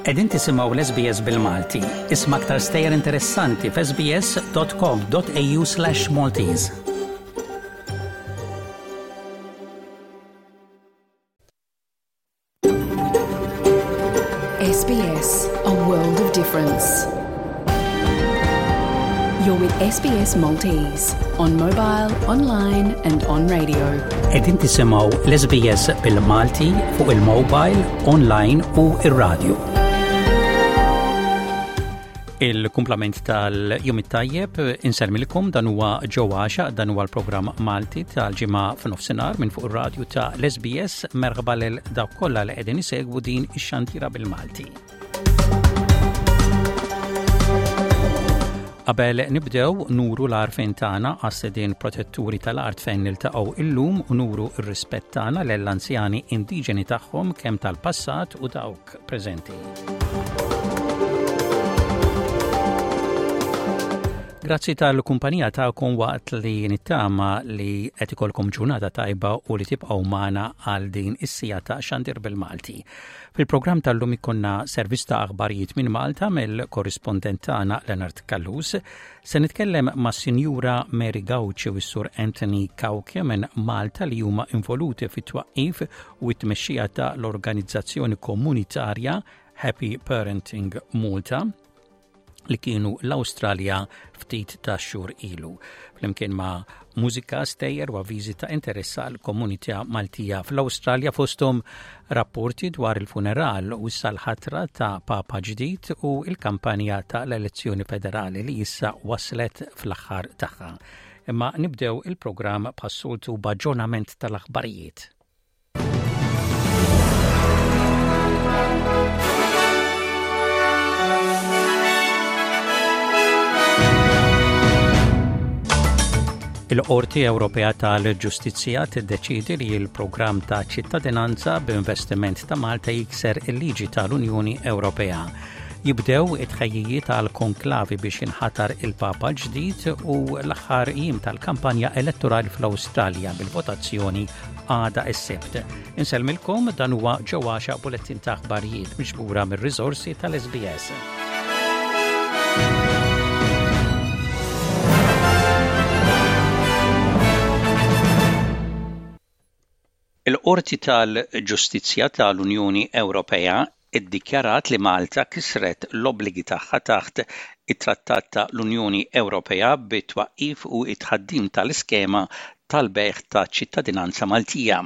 Qegħdin tisimgħu l-SBS bil-Malti. Isma' aktar stejjer interessanti f'sbs.com.au/Maltese. SBS, a world of difference. You're with SBS Maltese on mobile, online and on radio. Qegħdin tisimgħu l-SBS bil-Malti fuq il-mobile, online u ir-radio. Il-kumplament tal-jum it-tajjeb insellmilkom dan huwa Ġo Għaxa, dan huwa l-programm Malti tal-ġimgħa f'nofsinhar minn fuq ir-radju ta' l-SBS merħba lil dawk kollha li qegħdin isegwu din ix-xandira bil-Malti. Qabel nibdew nuru l-għarfien tagħna għas-sedien protetturi tal-art fejn niltaqgħu illum u nuru r-rispett tagħna lill-anzjani indiġeni tagħhom kemm tal-passat u dawk preżenti. Grazzi tal-kumpanija tagħkom waqt li nittama li qed ikolkom ġurnata tajba u li tibqgħu magħna għal din is-sija ta' xandir bil-Malti. Fil-programm tal-lum ikonna servizz ta' aħbarijiet minn Malta mill-korrispondent tagħna Leonard Callus. Se nitkellem ma' Sinjura Mary Gauci u s-Sur Anthony Cauchi minn Malta li huma involuti fit-twaqqif u t-tmexxija ta' l-organizzazzjoni komunitarja Happy Parenting Malta li kienu l-Awstralja ftit ta' xhur ilu. Flimkien ma' mużika, stejjer u avviżi ta' interess għal komunità Maltija fl-Awstralja fosthom rapporti dwar il-funeral u issa l-ħatra ta' Papa ġdid u l-kampanja ta' l-elezzjoni federali li issa waslet fl-aħħar tagħha. Imma nibdew il-programm bħas-soltu b'aġġornament tal-aħbarijiet. Il-Qorti Ewropea tal-Ġustizzja tiddeċiedi li l-programm ta' ċittadinanza b'investiment ta' Malta jikser il-liġi tal-Unjoni Ewropea. Jibdew it-tħejjijiet għal konklavi biex jinħatar il-Papa ġdid u l-aħħar jiem tal-kampanja elettorali fl-Awstralja bil-votazzjoni għada s-Sibt. Insellmilkom dan huwa ġewwaxa bulettin ta' aħbarijiet miġbura mir-riżorsi tal-SBS. Il-Qorti tal-Ġustizzja tal-Unjoni Ewropea iddikjarat li Malta kisret l-obbligi tagħha taħt it-Trattat ta' l-Unjoni Ewropea bit-twaqqif u t-tħaddim tal-iskema tal-bejgħ ta' ċittadinanza Maltija.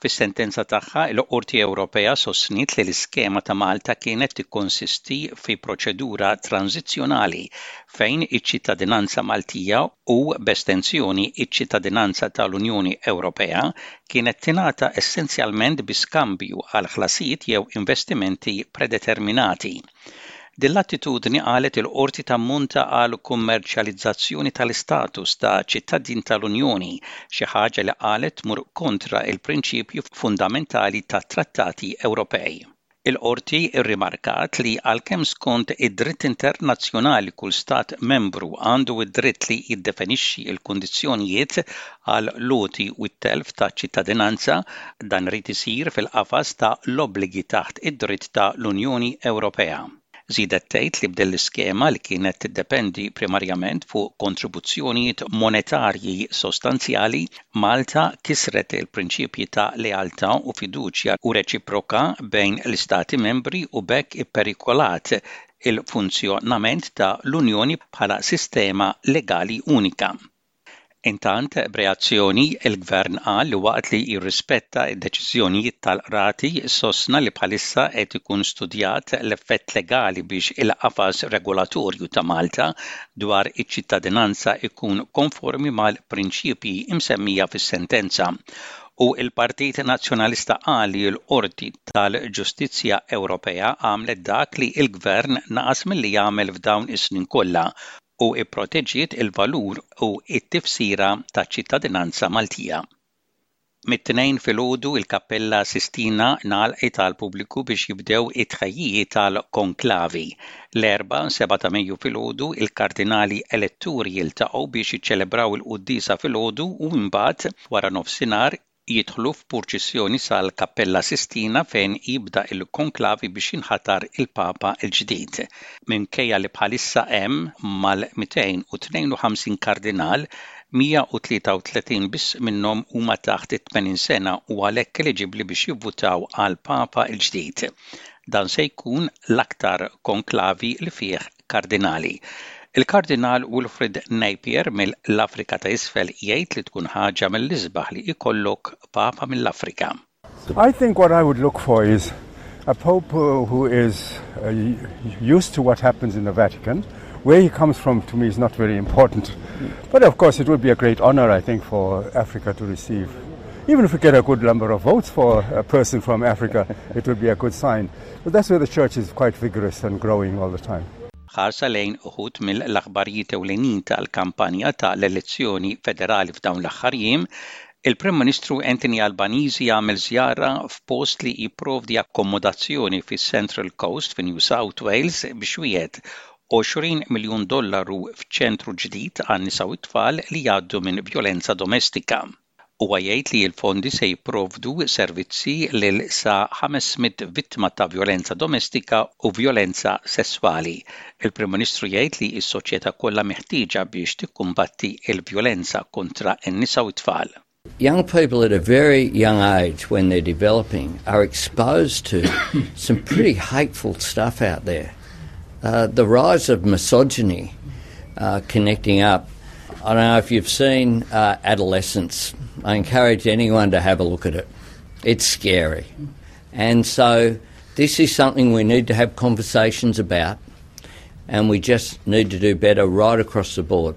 Fis-sentenza tagħha, il-Qorti Ewropea sostniet li l-iskema ta' Malta kienet tikkonsisti fi proċedura tranżizzjonali fejn iċ-ċittadinanza Maltija u, b'estensjoni, iċ-ċittadinanza tal-Unjoni Ewropea kienet tingħata essenzjalment bi skambju għal ħlasijiet jew investimenti predeterminati. Din l-attitudni qalet il-Qorti tammonta għal kummerċjalizzazzjoni tal-istatus ta' ċittadin tal-Unjoni, xi ħaġa li qalet tmur kontra l-prinċipji fundamentali tat-trattati Ewropej. Il-Qorti rrimarkat li għalkemm skont id-dritt internazzjonali kull Stat Membru għandu d-dritt li jiddefinixxi l-kundizzjonijiet għal l-għoti u t-telf ta' ċittadinanza, dan irid isir fil-qafas ta' l-obbligi taħt id-dritt ta' l-Unjoni Ewropea. Żiedet tgħid li b'din l-iskema li kienet tiddependi primarjament fuq kontribuzzjonijiet monetarji sostanzjali, Malta kisret il-prinċipji ta' lealtà u fiduċja u reċiproka bejn l-Istati Membri u b'hekk ipperikolat il-funzjonament ta' l-Unjoni bħala sistema legali unika. Intant, b'reazzjoni, il-Gvern qal li waqt li jirrispetta d-deċiżjonijiet tal-Qrati, sostna li bħalissa qed ikun studjat l-effett legali biex il-qafas regolatorju ta' Malta dwar iċ-ċittadinanza jkun konformi mal-prinċipji msemmija fis-sentenza. U l-Partit Nazzjonalista qal li l-Qorti tal-Ġustizzja Ewropea għamlet dak li l-Gvern naqas milli jagħmel f'dawn is-snin kollha u pproteġiet il-valur u t-tifsira taċ-ċittadinanza Maltija. Mit-Tnejn filgħodu il-Kappella Sistina ngħalqet għall-pubbliku biex jibdew it-tħejjijiet għall-konklavi. L-Erbgħa, 7 ta' Mejju filgħodu, il-Kardinali Eletturi jiltaqgħu biex jiċċelebraw il-quddiesa filgħodu u imbagħad wara nofsinhar. Jidħlu f'purċissjoni sal-Kappella Sistina fejn jibda l-konklavi biex jinħatar il-Papa l-ġdid. Minkejja li bħalissa hemm mal-252 kardinal, 133 biss minnhom huma taħt it-80 sena u għalhekk eliġibbli biex jivvutaw għall-Papa l-ġdid. Dan se jkun l-aktar konklavi li fih kardinali. Il-Kardinal Wilfrid Napier mill-Afrika ta' Isfel jgħid li tkun ħaġa mill-isbaħ li jkollok Papa mill-Afrika. I think what I would look for is a pope who is used to what happens in the Vatican. Where he comes from to me is not very important. But of course it would be a great honor, I think, for Africa to receive. Even if we get a good number of votes for a person from Africa, it would be a good sign. But that's where the church is quite vigorous and growing all the time. Ħarsa lejn uħud mill-aħbarijiet ewlenin tal-kampanja ta' l-elezzjoni federali f'dawn l-aħħar jiem, il-Prim Ministru Anthony Albanese jagħmel żjara f'post li jipprovdi akkomodazzjoni fis-Central Coast fi New South Wales biex wiegħed 20 miljun dollaru f'ċentru ġdid għan-nisa u t-tfal li jgħaddu minn vjolenza domestika. Huwa jgħid li l-fondi se jipprovdu servizzi lil sa 500 vittma ta' vjolenza domestika u vjolenza sesswali. Il-Prim Ministru jgħid li s-soċjetà kollha meħtieġa biex tikkumbatti l-vjolenza kontra n-nisa u t-tfal. Young people at a very young age when they're developing are exposed to some pretty hateful stuff out there. Uh, the rise of misogyny uh, connecting up I don't know if you've seen uh, Adolescence. I encourage anyone to have a look at it. It's scary. And so this is something we need to have conversations about, and we just need to do better right across the board.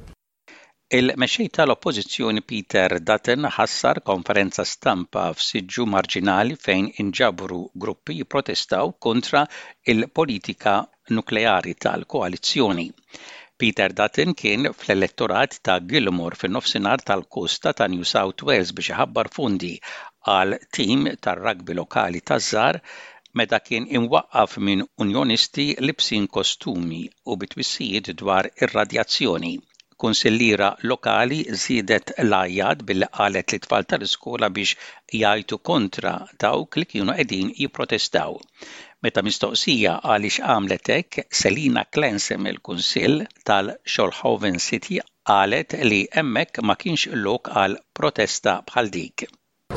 Il-mexxej tal-Oppożizzjoni Peter Dutton ħassar konferenza stampa f'siġġu marġinali fejn inġabru gruppi jipprotestaw kontra il-politika nukleari tal-koalizzjoni. Peter Dutton kien fl-elettorat ta' Gilmore fin-nofsinhar tal-kosta ta' New South Wales biex iħabbar fondi għal tim tar-rugby lokali taż-żgħar meta kien imwaqqaf minn unjonisti libsin kostumi u bi twissijiet dwar ir-radjazzjoni. Kunsilliera lokali żiedet l-għajjat billi qalet lit-tfal tal-iskola biex jgħajtu kontra dawk li kienu qegħdin jipprotestaw. Meta mistoqsija għaliex għamlet hekk, Selina Clancy mill-Kunsill tal-Shoalhaven City qalet li hemmhekk ma kienx lok għal protesta bħal dik.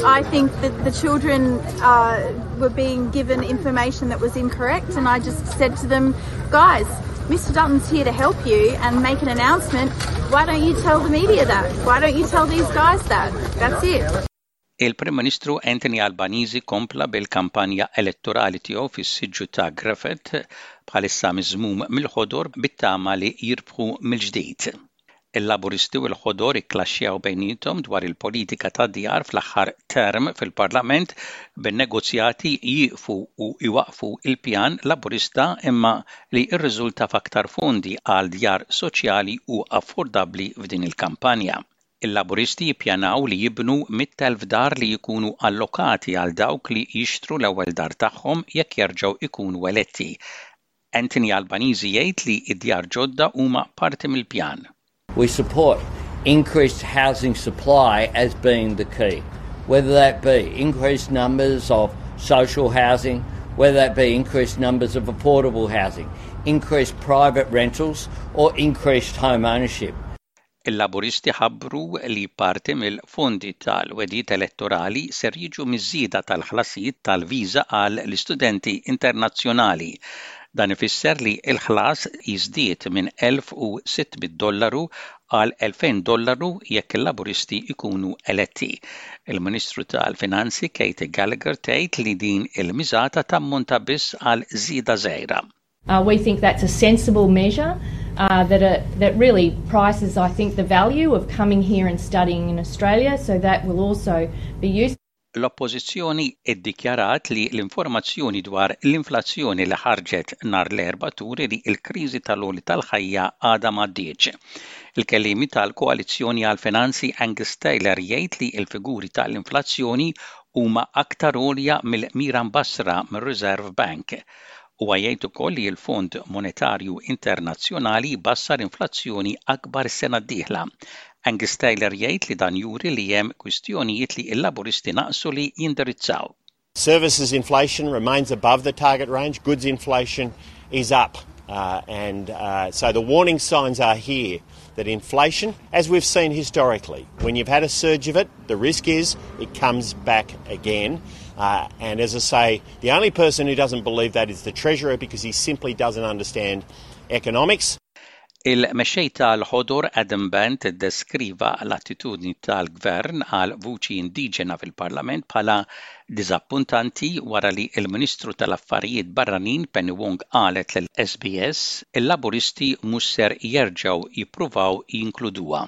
I think that the children uh, were being given information that was incorrect, and I just said to them, guys, Mr. Dutton's here to help you and make an announcement. Why don't you tell the media that? Why don't you tell these guys that? That's it. Il-Prim Ministru Anthony Albanese kompla bil-kampanja elettorali tiegħu fis-siġġu ta' Griffith bħalissa miżmum mill-ħodor bit-tama li jirbħu mill-ġdid. Il-Laburisti u l-Ħodor ikklaxxjaw bejniethom dwar il-politika tad-djar fl-aħħar term fil-Parlament bin-negozjati jieqfu u jwaqqfu l-pjan Laburista imma li rriżulta f'aktar fondi għal djar soċjali u affordabbli f'din il-kampanja. Il-Laburisti jippjanaw li jibnu 100,000 dar li jkunu allokati għal dawk li jixtru l-ewwel dar tagħhom jekk jerġgħu jkunu eletti. Anthony Albanese jgħid li d-djar ġodda huma parti mill-pjan. We support increased housing supply as being the key, whether that be increased numbers of social housing, whether that be increased numbers of affordable housing, increased private rentals or increased home ownership. Il-Laburisti ħabbru li parti mill-fondi tal-wegħdiet elettorali ser jiġu miż-żieda tal-ħlasijiet tal-viża għal l-istudenti internazzjonali. Dan ifisser li l-ħlas jiżdied minn 1,600 dollaru għal 2,000 dollaru jekk il-Laburisti jkunu eletti. Il-Ministru tal-Finanzi Katie Gallagher tgħid li din il-miżata tammonta biss għal żieda żgħira. Uh, we think that's a sensible measure uh, that, uh, that really prices, I think, the value of coming here and studying in Australia, so that will also be used. L-Oppożizzjoni iddikjarat li l-informazzjoni dwar l-inflazzjoni li ħarġet nhar l-Erbgħa turi li l-kriżi tal-għoli tal-ħajja għadha m'għaddietx. Il-kelliemi tal-Koalizzjoni għall-Finanzi Angus Taylor jgħid li l-figuri tal-inflazzjoni huma aktar għolja mill-mira mbassra mir-Reserve Bank. Huwa jgħid ukoll li l-Fond Monetarju Internazzjonali jbassar inflazzjoni akbar is-sena d-dieħla. Angus Taylor jgħid li dan juri li hemm kwistjonijiet li l-Laburisti naqsu li jindirizzaw. Services inflation remains above the target range. Goods inflation is up. Uh, and uh, so the warning signs are here that inflation, as we've seen historically, when you've had a surge of it, the risk is it comes back again. Uh, and as I say, the only person who doesn't believe that is the Treasurer because he simply doesn't understand economics. Il-Mexxej tal-Ħodor Adam Bandt iddeskriva l-attitudni tal-Gvern għal vuċi indiġena fil-Parlament bħala diżappuntanti wara li l-Ministru tal-Affarijiet Barranin Penny Wong qalet lil SBS il-Laburisti mhux ser jerġgħu jippruvaw jinkluduha.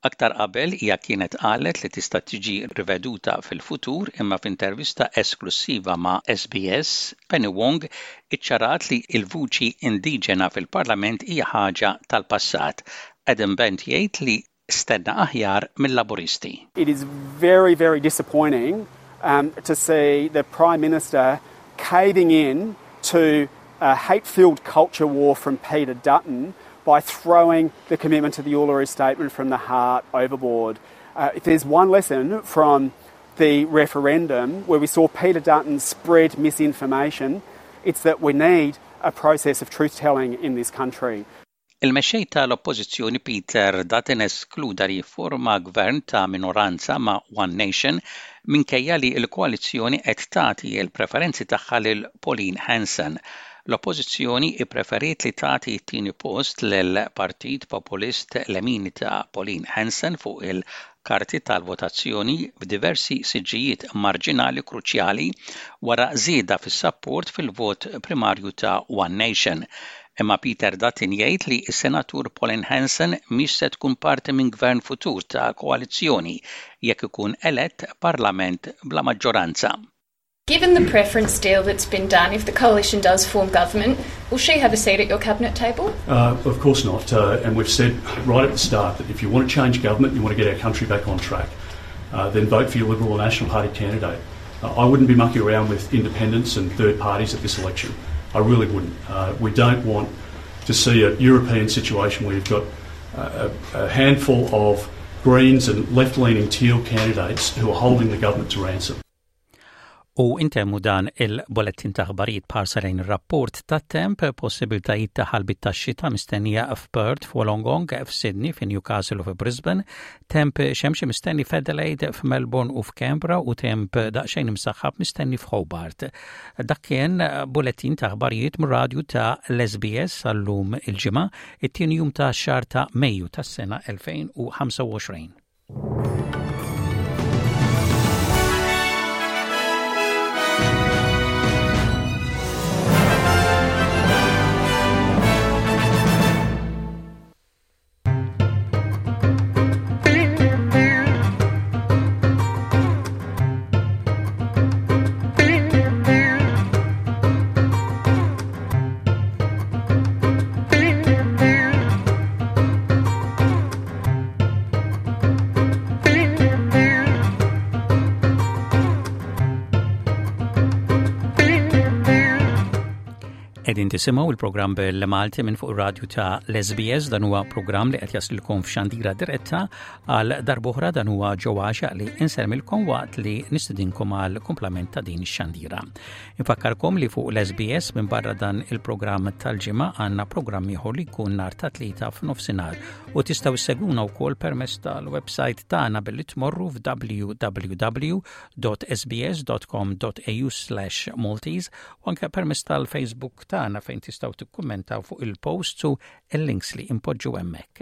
Aktar qabel hija kienet qalet li tista' tiġi riveduta fil-futur imma f'intervista esklussiva ma' SBS, Penny Wong iċċarat li l-vuċi indiġena fil-Parlament hija ħaġa tal-passat. Adam Bandt jgħid li stenna aħjar mil-Laburisti. It is very, very disappointing um, to see the Prime Minister caving in to a hate-filled culture war from Peter Dutton by throwing the commitment to the Uluru Statement from the heart overboard. Uh, if there's one lesson from the referendum where we saw Peter Dutton spread misinformation, it's that we need a process of truth telling in this country. Il-Mexxej ta' l-Oppożizzjoni Peter Dutton eskluda li jifforma gvern ta' minoranza ma' One Nation minkejja li l-koalizzjoni qed tagħti l-preferenzi tagħha lil Pauline Hanson. L-Oppożizzjoni ippreferiet li tagħti t-tieni post lill-Partit Populist Lemini ta' Pauline Hanson fuq il-karti tal-votazzjoni f'diversi siġġijiet marġinali kruċjali wara żieda fis-sapport fil-vot primarju ta' One Nation. Imma Peter Dutton jgħid li s-Senatur Pauline Hanson mhix se tkun parti minn gvern futur ta' koalizzjoni jekk ikun elett parlament bla maġġoranza. Given the preference deal that's been done, if the coalition does form government, will she have a seat at your cabinet table? Uh, of course not. Uh, and we've said right at the start that if you want to change government, you want to get our country back on track, uh, then vote for your Liberal or National Party candidate. Uh, I wouldn't be mucking around with independents and third parties at this election. I really wouldn't. Uh, we don't want to see a European situation where you've got a, a handful of Greens and left-leaning Teal candidates who are holding the government to ransom. U intemmu dan il-bolettin ta' aħbarijiet b'ħarsa lejn ir-rapport tat-temp, possibiltajiet ta' ħalbiet tax-xita mistennija f'Perth, f'Wollongong, f'Sydney, fi Newcastle u fi Brisbane, temp xemxi mistenni f'Adelaide, f'Melbourne u f'Canberra u temp daqsxejn imsaħħab mistenni f'Hobart. Dak kien bulletin ta' aħbarijiet mir-radju ta' l-SBS għal-lum il-Ġimgħa, it-tieni jum ta' xahar ta' Mejju tas-sena 2025. Qegħdin tisimgħu il-programm bil-Malti minn fuq ir-radju ta' l-SBS dan huwa programm li qed jaslilkom f'xandira diretta għal darb'oħra dan huwa Joe Għaxaq li insermilkom waqt li nistedinkom għal kumplament ta' din ix-xandira. Infakkarkom li fuq l-SBS minn barra dan il-programm tal-ġimgħa għandna programm ieħor li jkun nhar ta' tlieta f'nofsinhar u tistgħu ssegwuna wkoll permezz tal-website tagħna billi tmorru f'www www.sbs.com.au/maltese u anke permezz tal-Facebook tagħna fejn tistgħu tikkummentaw fuq il-posts u l-links li impoġġu hemmhekk.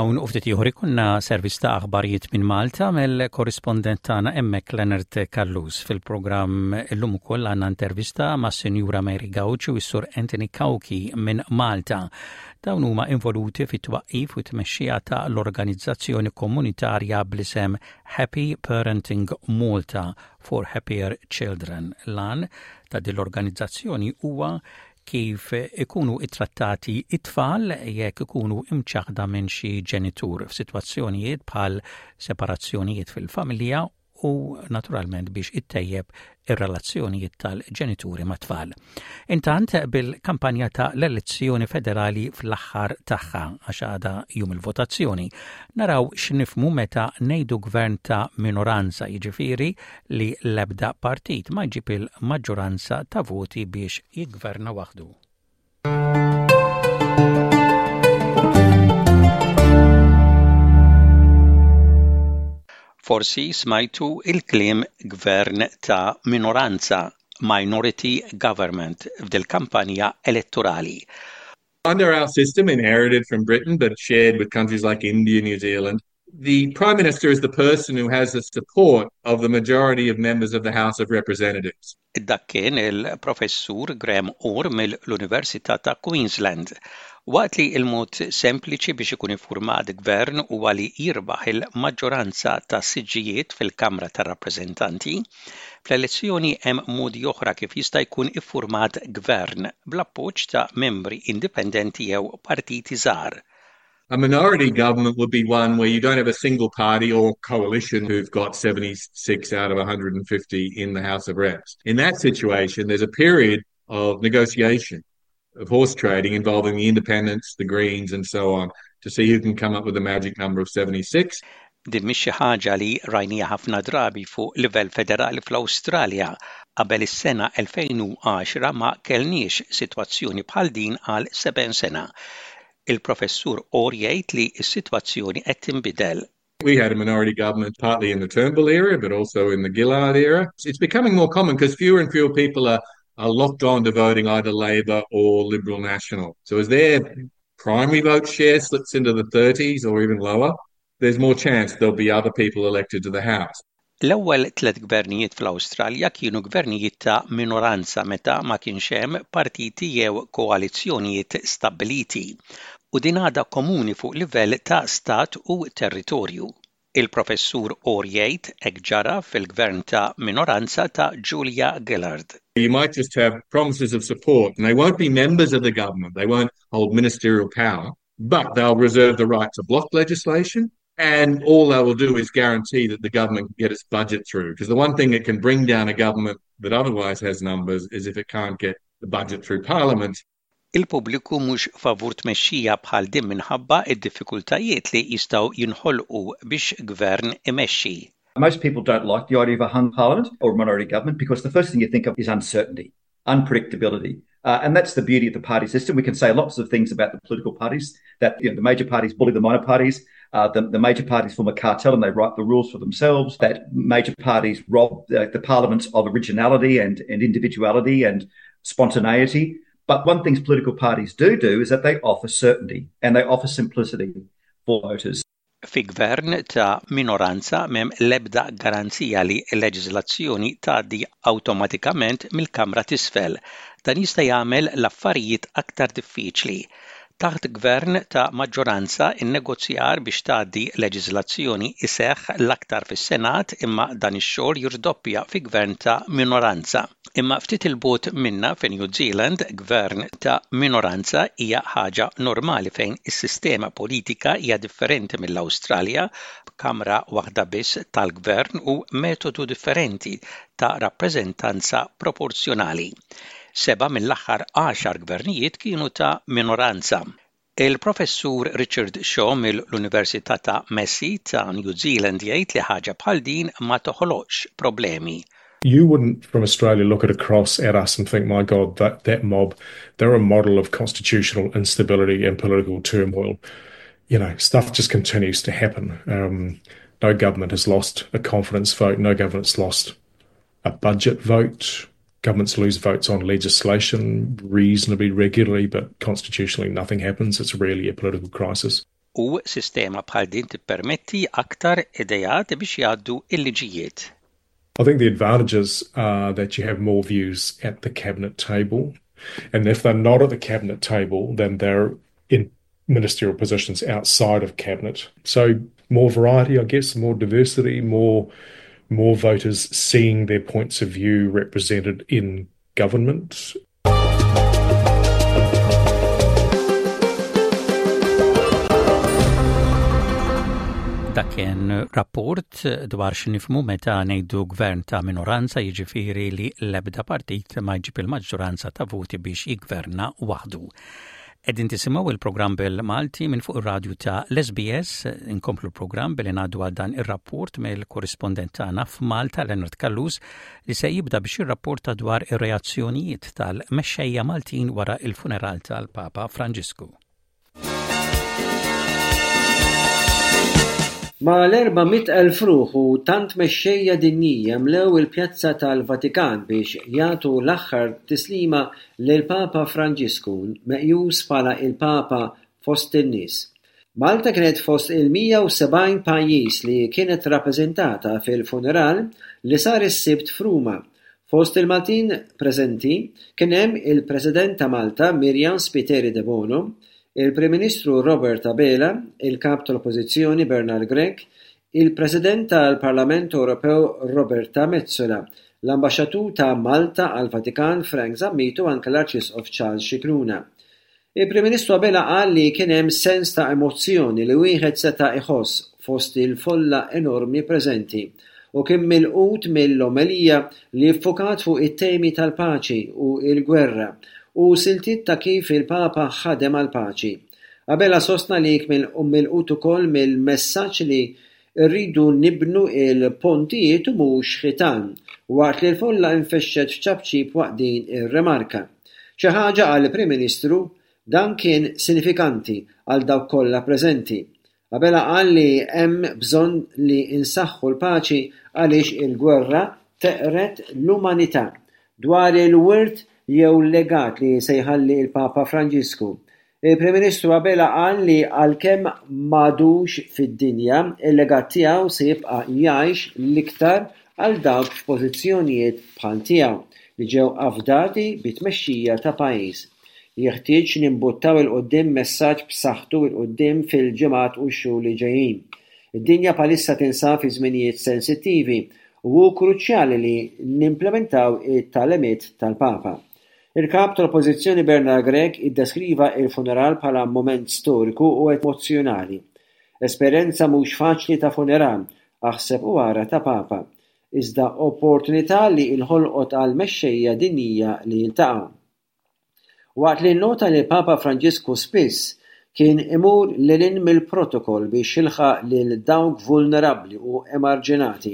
Minn hawn u ftit ieħor ikollna servizz ta' aħbarijiet minn Malta mill-korrispondent tagħna hemmhekk Leonard Callus. Fil-programm illum ukoll għandna intervista mas-Sinjura Mary Gauci u s-Sur Anthony Cauchi minn Malta. Dawn huma involuti fit-twaqqif u t-tmexxija ta' l-organizzazzjoni komunitarja bl-isem Happy Parenting Malta for Happier Children. L-għan ta' din l-organizzazzjoni huwa kif ikunu ittrattati it-tfal jekk ikunu imċaħda minn xi ġenitur f'sitwazzjonijiet bħal separazzjonijiet fil-familja u naturalment biex ittejjeb ir-relazzjonijiet tal-ġenituri mat-tfal. Intant bil-kampanja ta' l-elezzjoni federali fl-aħħar tagħha għax għada jum il-votazzjoni, naraw x'nifhmu meta ngħidu gvern ta' minoranza, jiġifieri li l-ebda partit ma jġib il-maġġoranza ta' voti biex jiggverna waħdu. Forsi smajtu il-kliem gvern ta' minoranza, minority government, f'dil-kampanja elettorali. Under our system, inherited from Britain but shared with countries like India, New Zealand, the Prime Minister is the person who has the support of the majority of members of the House of Representatives. Dak kien il-Professur Graham Orr mill-Università ta' Queensland. Waqt li l-mod sempliċi biex ikun iffurmat gvern huwa li jirbaħ il-maġġoranza ta' siġġijiet fil-Kamra tar-Rappreżentanti, fl-elezzjoni hemm modi oħra kif jista' jkun iffurmat gvern bl-appoġġ ta' membri indipendenti jew partiti żgħar. A minority government would be one where you don't have a single party or coalition who've got 76 out of 150 in the House of Reps. In that situation, there's a period of negotiation, of horse trading involving the independents, the Greens, and so on, to see who can come up with the magic number of 76. Din mhix xi ħaġa li rajniha ħafna drabi fuq livell federali fl-Awstralja. Qabel is-sena 2010 ma kellniex sitwazzjoni bħal din għal 70 sena. Il-Professur Orr jgħid li s-sitwazzjoni qed tinbidel. We had a minority government partly in the Turnbull era, but also in the Gillard era. It's becoming more common because fewer and fewer people are, are locked on to voting either Labor or Liberal National. So as their primary vote share slips into the 30s or even lower, there's more chance there'll be other people elected to the House. L-ewwel tliet gvernijiet fl-Awstralja kienu gvernijiet ta' minoranza meta ma kienx hemm partiti jew koalizzjonijiet stabbiliti, u din għadha komuni fuq livell ta' stat u territorju. Il-Professur Orr jgħid hekk ġara fil-gvern ta' minoranza ta' Julia Gillard. You might just have promises of support and they won't be members of the government, they won't hold ministerial power, but they'll reserve the right to block legislation and all they will do is guarantee that the government can get its budget through. Because the one thing that can bring down a government that otherwise has numbers is if it can't get the budget through parliament. Il-pubbliku mhux favur tmexxija bħal din minħabba d-diffikultajiet li jistgħu jinħolqu biex gvern imexxi. Most people don't like the idea of a hung parliament or a minority government because the first thing you think of is uncertainty, unpredictability. Uh, and that's the beauty of the party system. We can say lots of things about the political parties that you know, the major parties bully the minor parties. Uh, the, the major parties form a cartel and they write the rules for themselves, that major parties rob the, the parliaments of originality and, and individuality and spontaneity. But one thing political parties do do is that they offer certainty and they offer simplicity for voters. Fi gvern ta' minoranza m'hemm l-ebda garanzija li leġiżlazzjoni tgħaddi awtomatikament mill-Kamra t'Isfel. Dan jista' jagħmel l-affarijiet aktar diffiċli. Taħt gvern ta' maġġoranza, in-negozjar biex tgħaddi leġiżlazzjoni jseħħ l-aktar fis-Senat imma dan ix-xogħol jirdoppja fi gvern ta' minoranza. Imma ftit 'il bogħod minna fi New Zealand, gvern ta' minoranza hija ħaġa normali fejn is-sistema politika hija differenti mill-Awstralja b'kamra waħda biss tal-gvern u metodu differenti ta' rappreżentanza proporzjonali. Sebgħa mill-aħħar għaxar gvernijiet kienu ta' minoranza. Il-Professur Richard Shaw mill-Università ta' Massey ta' New Zealand jgħid li ħaġa bħal din ma toħloqx problemi. You wouldn't from Australia look at across at us and think, my God, that, that mob, they're a model of constitutional instability and political turmoil. You know, stuff just continues to happen. Um, no government has lost a confidence vote. No government's lost a budget vote. Governments lose votes on legislation reasonably regularly, but constitutionally nothing happens. It's rarely a political crisis. U sistema bħal din tippermetti aktar ideat biex jgħaddu l-liġijiet. I think the advantages are that you have more views at the cabinet table. And if they're not at the cabinet table, then they're in ministerial positions outside of cabinet. So more variety, I guess, more diversity, more more voters seeing their points of view represented in government. Dak kien rapport dwar x'nifmu meta ngħidu gvern ta' minoranza jiġifieri li l-ebda partit ma jġib il-maġġoranza ta' voti biex jiggverna waħdu. Qegħdin tisimgħu il-programm bil-Malti minn fuq ir-radju ta' l-SBS, inkomplu l-programm billi ngħaddu għal dan ir-rapport mill-korrispondent tagħna f'Malta Leonard Callus li se jibda biex jirrapporta dwar ir-reazzjonijiet tal-mexxejja Maltin wara il-funeral tal-Papa Franġisku. Mal-400,000 ruħ u tant mexxejja dinjija mlew il-Pjazza tal-Vatikan biex jagħtu l-aħħar tislima lill-Papa Franġisku, meqjus bħala il-Papa fost in-nies. Malta kienet fost il-170 pajjiż li kienet rappreżentata fil-funeral li sar is-Sibt f'Ruma. Fost il-Maltin preżenti kien hemm il-President ta' Malta Myriam Spiteri Debono, il-Prim Ministru Robert Abela, il-Kap tal-Oppożizzjoni Bernard Grech, il-President tal-Parlament Ewropew Roberta Metsola, l-Ambaxxatur ta' Malta għall-Vatikan Frank Zammit u anke l-Arċisqof Charles Scicluna. Il-Prim Ministru Abela qal li kien hemm sens ta' emozzjoni li wieħed seta' iħoss fost il-folla enormi preżenti u kien milqut mill-omelija li ffukat fuq it-temi tal-paċi u l-gwerra u siltiet ta' kif il-Papa ħadem għall-paċi. Abela sostna li kien milqut ukoll mill-messaġġ li rridu nibnu l-pontijiet u mhux ħitan, waqt li l-folla infexxet f'ċapċip waqt din ir-rimarka. Xi ħaġa, qal il-Prim Ministru, dan kien sinifikanti għal dawk kollha preżenti. Abela qal li hemm bżonn li nsaħħu l-paċi għaliex il-gwerra teqred l-umanità. Dwar il-wirt jew legat li se jħalli l-Papa Franġisku, il-Prim Ministru Abela qal li għalkemm m'għadux fid-dinja, il-legat tiegħu se jibqa' jgħix l-iktar għal dawk f'pożizzjonijiet bħal tiegħu li ġew afdati bit-tmexxija ta' pajjiż. Jeħtieġ nimbuttaw 'il quddiem messaġġ b'saħħtu 'il quddiem fil-ġimgħat u x-xhur li ġejjin. Id-dinja bħalissa tinsab fi żminijiet sensittivi u hu kruċjali li nimplementaw it-tagħlimiet tal-Papa. Il-Kap tal-Oppożizzjoni Bernard Grech iddeskriva l-funeral bħala mument storiku u emozzjonali. Esperjenza mhux faċli ta' funeral, aħseb u ara ta' Papa. Iżda opportunità li nħolqot għall-mexxejja dinjija li jiltaqgħu. Waqt li nnota li l-Papa Franġisku spiss kien imur lil hinn mill-protokoll biex jilħaq lil dawk vulnerabbli u emarġinati,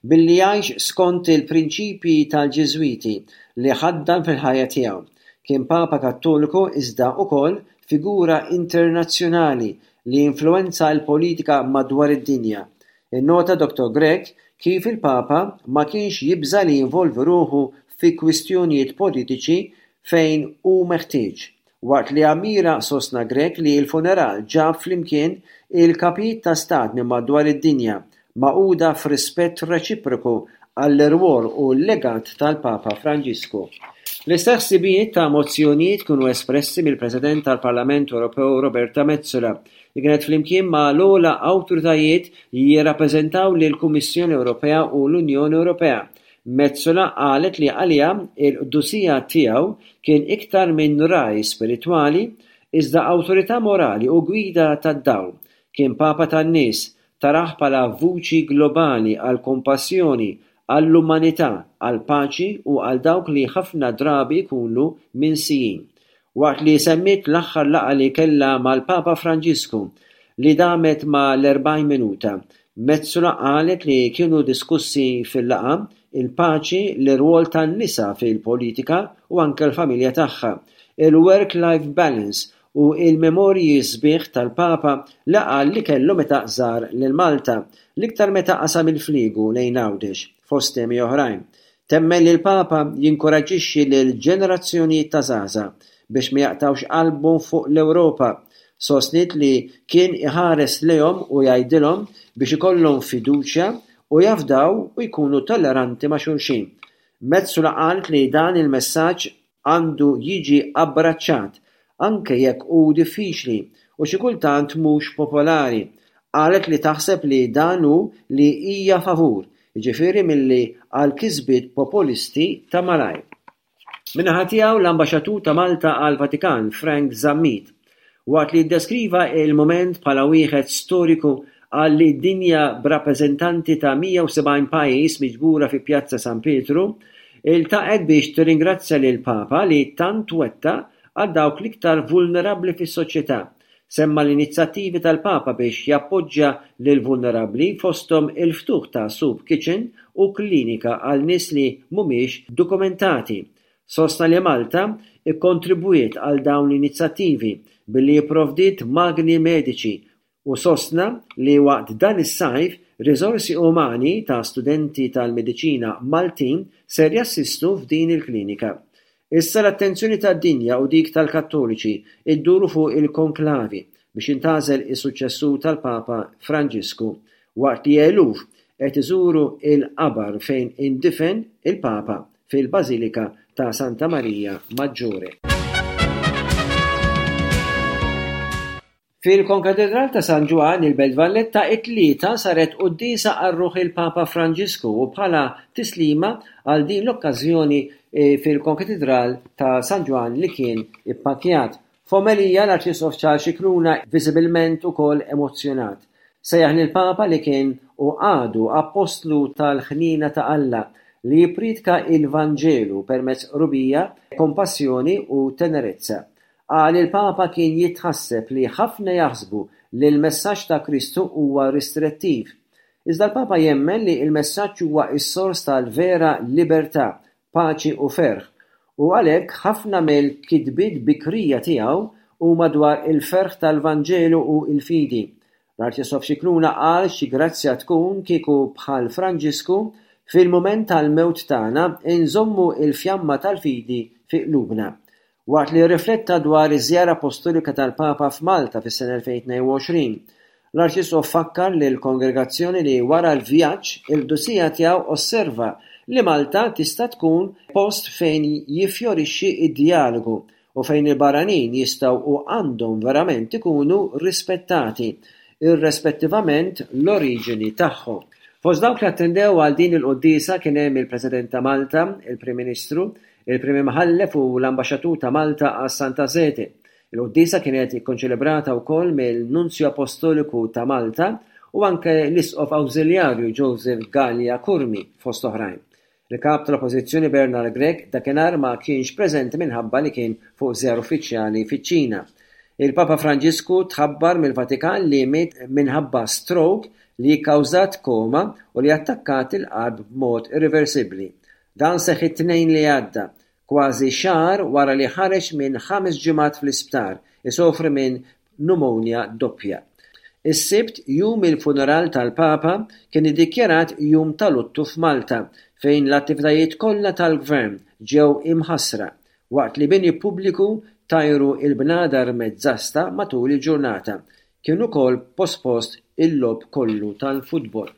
billi jgħix skont il-prinċipji tal-Ġiżwiti li ħaddan fil-ħajja tiegħu. Kien Papa Kattoliku iżda ukoll figura internazzjonali li influwenza l-politika madwar id-dinja. Innota Dottor Grech kif il-Papa ma kienx jibża' li jinvolvi ruħu fi kwistjonijiet politiċi fejn hu meħtieġ. Waqt li ammira sostna Grech li l-funeral ġab flimkien il-kapijiet ta' stat minn madwar id-dinja, magħquda f'rispett reċiproku għall-irwol u l-legat tal-Papa Franġisku. L-istess ħsibijiet ta' emozzjonijiet kienu espressi mill-President tal-Parlament Ewropew Roberta Metsola li kienet flimkien ma' l-ogħla awtoritajiet jirrappreżentaw lill-Kummissjoni Ewropea u l-Unjoni Ewropea. Metsola qalet li għaliha il-qdusija tiegħu kien iktar minn ragħaj spiritwali, iżda awtorità morali u gwida tad-dawl. Kien Papa tan-nies, tarah bħala vuċi globali għall-kompassjoni, għall-umanità, għall-paċi u għal dawk li ħafna drabi jkunu minsijin. Waqt li semmiet l-aħħar laqgħa li kellha mal-Papa Franġisku, li damet ma' l-40 minuta, Metsola qalet li kienu diskussi fil-laqgħa il-paċi, l-irwol tan-nisa fil-politika u anke l-familja tagħha, il-work-life balance u l-memorji sbieħ tal-Papa li qal li kellu meta żar lil Malta, l-iktar meta qasam il-fliegu lejn Għawdex, fost temi oħrajn. Temmen li l-Papa jinkoraġġixxi lill-ġenerazzjonijiet ta' żgħażagħ biex ma jaqtgħux qalbhom fuq l-Ewropa. Sostniet li kien iħares lejhom u jgħidilhom biex ikollhom fiduċja u jafdaw u jkunu tolleranti ma' xulxin. Metsola qalet li dan il-messaġġ għandu jiġi abbraċċat, anke jekk hu diffiċli u xi kultant mhux popolari. Qalet li taħseb li dan hu li hija favur, jiġifieri milli għal kisbiet populisti ta' malajr. Min-naħa tiegħu l-Ambaxxatur ta' Malta għall-Vatikan, Frank Zammit, waqt li ddeskriva l-mument bħala wieħed storiku qal li d-dinja b'rappreżentanti ta' 170 pajjiż miġbura fi Pjazza San Pietru iltaqgħet biex tirringrazzja lill-Papa li tant wettaq għal dawk l-iktar vulnerabbli fis-soċjetà Semma l-inizjattivi tal-Papa biex jappoġġja lill-vulnerabbli fosthom il-ftuħ ta' soup kitchen u klinika għal nies li mhumiex dokumentati. Sostna li Malta kkontribwiet għal dawn l-inizjattivi billi pprovdiet magni mediċi u sostna li waqt dan is-sajf riżorsi umani ta' studenti tal-mediċina Maltin ser jassistu f'din il-klinika. Issa l-attenzjoni tad-dinja u dik tal-Kattoliċi dduru fuq il-konklavi biex jintgħażel is-suċċessur tal-Papa Franġisku, waqt li eluf qed iżuru l-qabar fejn indifen il-Papa fil-Bażilika ta' Santa Maria Maggiore. Fil-Konkatedral ta' San Ġwann, il-Belt Valletta, it-Tlieta saret quddiesa għal ruħ il-Papa Franġisku u bħala tislima għal din l-okkażjoni fil-Konkatidral ta' San Ġwann li kien ippakkjat. F'omelija, l-Arċisqof Charles Scicluna, viżibilment ukoll emozzjonat, sejjaħ lill-Papa li kien u għadu appostlu tal-ħniena ta' Alla li jippriedka l-Vanġelu permezz qrubija, kompassjoni u tenerezza. Qal il-Papa kien jitħasseb li ħafna jaħsbu li l-messaġġ ta' Kristu huwa ristrettiv. Iżda l-Papa jemmen li l-messaġġ huwa s-sors tal-vera libertà, paċi u ferħ, u għalhekk ħafna mill-kitbiet bikrija tiegħu huma dwar il-ferħ tal-Vanġelu u l-fidi. L-Arċisqof Scicluna qal xi grazzja tkun kieku bħal Franġisku, fil-mument tal-mewt tagħna, inżommu l-fjamma tal-fidi fi qlubna. Waqt li rrifletta dwar iż-żjara appostolika tal-Papa f'Malta fis-sena 2022, l-Arċisqof fakkar lill-kongregazzjoni li wara l-vjaġġ, il-Qdusija Tiegħu osserva li Malta tista' tkun post fejn jiffjorixxi d-djalogu u fejn il-barranin jistgħu u għandhom verament ikunu rispettati, irrespettivament l-oriġini tagħhom. Fost dawk li attendew għal din il-quddiesa kien hemm il-President ta' Malta, il-Prim Ministru, il-Prim Imħallef u l-Ambaxxatur ta' Malta għas-Santa Sede. Il-quddiesa kienet ikkonċelebrata wkoll mill-Nunzju Appostoliku ta' Malta u anke l-Isqof Awżiljarju Joseph Galea Curmi, fost oħrajn. Il-Kap tal-Oppożizzjoni Bernard Grech dakinhar ma kienx preżenti minħabba li kien fuq żjara uffiċjali fiċ-Ċina. Il-Papa Franġisku tħabbar mill-Vatikan li miet minħabba stroke li kkawżat koma u li attakkat il-qalb b'mod irriversibbli. Dan seħħ it-Tnejn li għadda, kważi xahar wara li ħareġ minn ħames ġimgħat fl-isptar isofri minn pneumonia doppja. Is-Sibt, jum il-funeral tal-Papa, kien iddikjarat jum ta' luttu f'Malta fejn l-attivitajiet kollha tal-Gvern ġew imħassra, waqt li bini pubbliku tajru l-bnadar mezz'asta matul il-ġurnata. Kien ukoll pospost il-logħob kollu tal-futbol.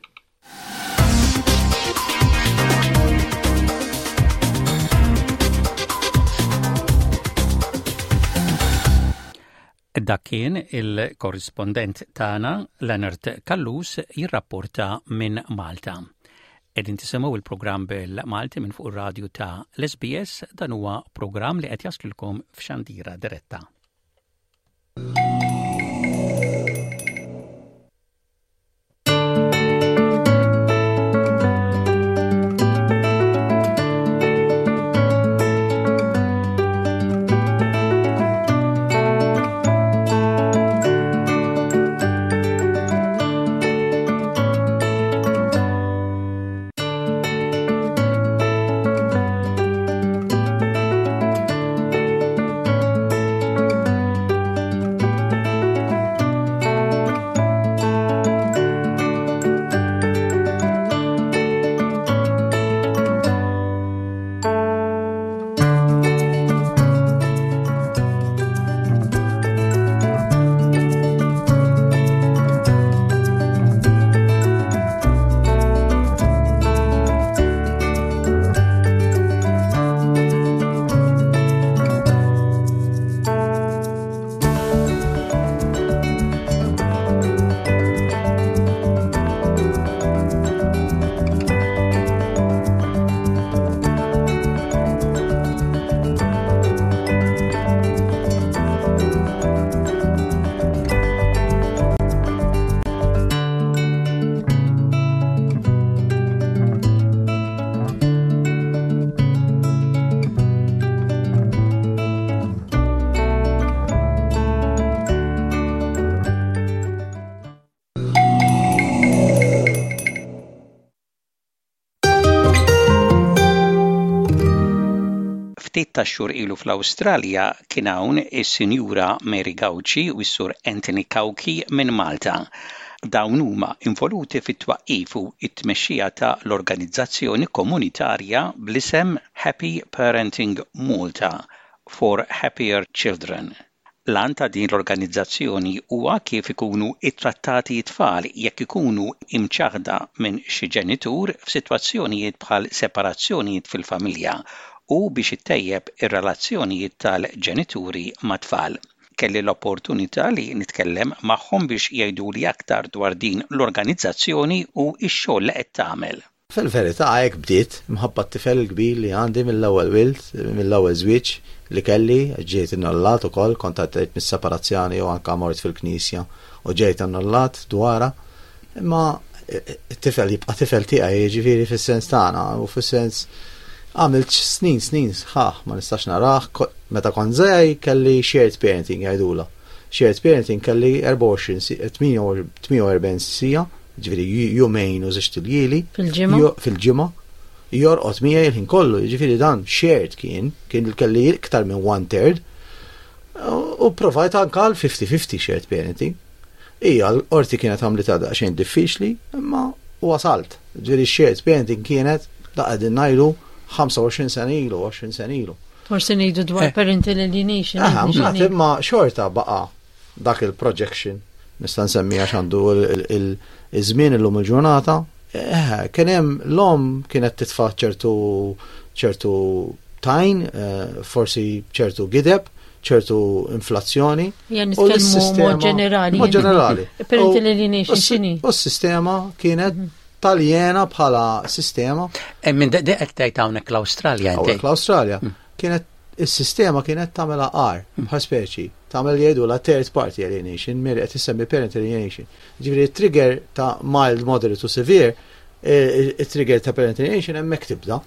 Dak kien il-korrispondent tagħna Leonard Callus jirrapporta minn Malta. Qegħdin tisimgħu il-programm bil-Malti minn fuq ir-radju ta' l-SBS dan huwa programm li qed jaslilkom f'xandira diretta. Ftit tax-xhur ilu fl-Awstralja kien hawn is-Sinjura Mary Gauci u s-Sur Anthony Cauchi minn Malta. Dawn huma involuti fit-twaqqif u t-tmexxija ta' l-organizzazzjoni komunitarja bl-isem Happy Parenting Malta for Happier Children. L-għan ta' din l-organizzazzjoni huwa kif ikunu ttrattati t-tfal jekk ikunu imċaħħda minn xi ġenitur f'sitwazzjonijiet bħal separazzjonijiet fil-familja u biex ittejjeb ir-relazzjonijiet tal-ġenituri mat-tfal. Kelli l-opportunità li nitkellem magħhom biex jgħiduli aktar dwar din l-organizzazzjoni u x-xogħol li qed tagħmel. Fil-verità hekk bdiet, imħabba t-tifel il-kbir li għandi mill-ewwel wild, mill-ewwel żwieġ li kelli, ġejt innollat ukoll, kont għaddejt mis-separazzjoni u anke mort fil-knisja u ġejt annullat dwarha. Imma t-tifel jibqa' tifel tiegħi, jiġifieri fis-sens tagħna u fis-sens għamilt snin snin sħaħ ma nistax narah, meta kont żgħir kelli shared parenting jgħidulha. Shared parenting kelli 24 48 siegħa Ġifieri jumejn u żewġt iljieli. Fil-ġimgħa? Fil-ġimgħa. Jorqod miegħi il-ħin kollu, jiġifieri dan shared kien, kien kelli iktar minn one third. U provajt anka għal 50-50 shared parenting. Ija, l-qorti kienet għamlitha daqsxejn diffiċli, imma wasalt. Ġifieri shared parenting kienet da qegħdin ngħidu 25 sena ilu, 20 sena ilu. Forsi ngħidu dwar eh. parental alienation. Aha, imma xorta baqa' dak il-projection nista' nsemmi għax għandu il-żmien illum il-ġurnata, eh, kien hemm l-om kienet titfa' ċertu ċertu tajn, eh, forsi ċertu gideb, ċertu inflazzjoni. Ja nitkellmu mod ġenerali. Mod ġenerali. Parental alienation x'inhi? U s-sistema kienet mhm. taljena bħala sistema. Eh, minn qed tgħid hawnhekk l-Awstralja. Hawnhekk l-Awstralja. Mm. Kienet Is-sistema kienet tagħmilha agħar, bħal speċi, tagħmel li jgħidulha third party alienation, Mary qed issemmi parent alienation. Ġifieri it-trigger ta' mild, moderate u severe, it-trigger ta' parent alienation hemmhekk tibda.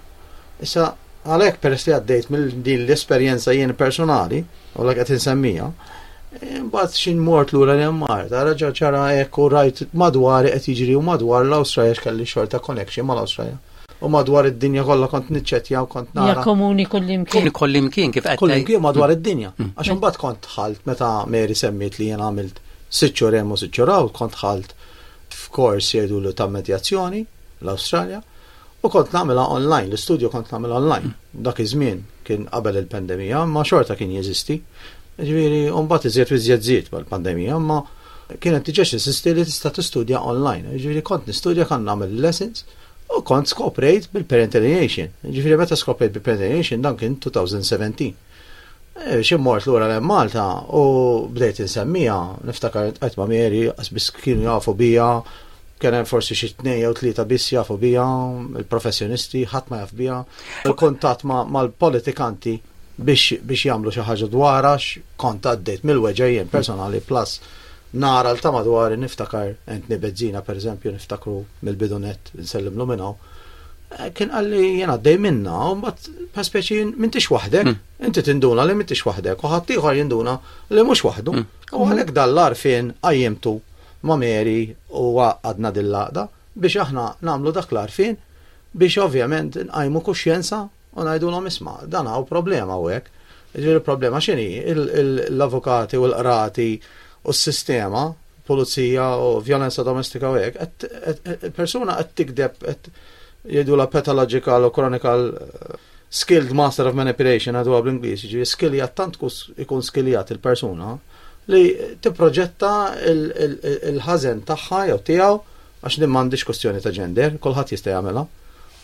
Issa għalhekk peress li għaddejt mill din l-esperjenza jien personali, u l qed insemmija, Imbagħad xin mort lura li Malta, raġa ċara hekk u rajt madwar qed jiġri u madwar l-Awstralja x'kelli xorta connection mal-Awstralja. U madwar id-dinja kollha kont niċċettja u kont nara. Ja komuni kullimkien. Kullimkien kif qed. Kullimkien madwar id-dinja. Mm. Għax imbagħad kont dħalt meta Mary semmiet li jien għamilt sitt xhur hemm u sitt xhur hawn, kont dħalt f'kors jgħidulu ta' medjazzjoni l-Awstralja u kont nagħmilha online, l-istudju kont nagħmilha online. Mm. Dak iż-żmien kien qabel il-pandemija, ma xorta kien jeżisti. Ġifieri, u mbagħad iżjed u iżjed żied mal-pandemija, imma kienet diġà teżisti li tista' tistudja online. Ġifieri kont nistudja kan nagħmel lessons U kont skoprejt bil-parent alienation. Ġifieri meta skoprejt bil-parent alienation dan kien 2017. Eh, xi mort lura l Malta u bdejt insemmija, niftakar qed ma' Mary, biss kienu jafu bija, kien hemm forsi xi tnejn jew tlieta biss jafu bija, il-professjonisti, ħadd ma jaf bija. Il-kuntatt mal-politikanti biex biex jagħmlu xi ħaġa dwarha kont għaddejt mill-weġgħa jien personali plus nara l ta' madwari niftakar Anthony Bezzina pereżempju niftakru mill-bidu nett nsellimlu minn hawn. Eh, kien qalli jien għaddej minna u mbagħad pa speċi m'intix waħdek, mm. inti tinduna li m'intix waħdek u ħaddieħor jinduna li mhux waħdu. Mm. U għalhekk dan l-għarfien qajjimtu ma' Mary u għadna dil-laqda biex aħna nagħmlu dak l-għarfien biex ovvjament nqajmu kuxjenza U ngħidulhom isma' dan hawn problema hawnhekk. Jiġifieri il-problema x'inhi? L-avukati u l-qrati u s-sistema, pulizija u vjolenza domestika u hekk, il-persuna qed tikdeb qed jgħidulha pathological u chronical eh, skilled master of manipulation għadu bl-Ingliż, jiġifieri skiljat tant ikun skiljat il-persuna li tipproġetta il-ħażen tagħha jew tiegħu Għax din m'għandhiex kwestjoni ta' gender, kulħadd jista' jagħmilha.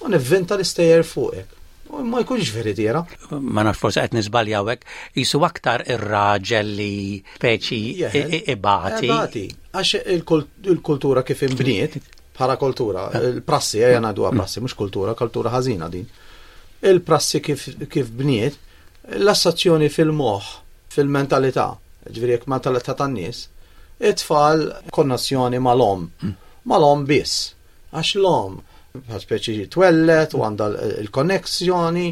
U nivvinta l-istejjer fuqek. U ma jkunx veritiera. Ma nafx forsi qed niżbalja hawnhekk, qisu aktar ir-raġel li speċi ibati. Ibati. Għax il-kultura kif inbniet, bħala kultura, il-prassi, ejja ngħiduha prassi, mhux kultura, kultura ħażina din. Il-prassi kif bniet, l-assazzjoni fil-moħħ, fil-mentalità, Ġifieri jekk mentalità tan-nies, it-tfal konnessjoni mal-omm. Hmm. Mal-omm biss. Għax l-omm bħal speċi twellet u għandha l-konnessjoni,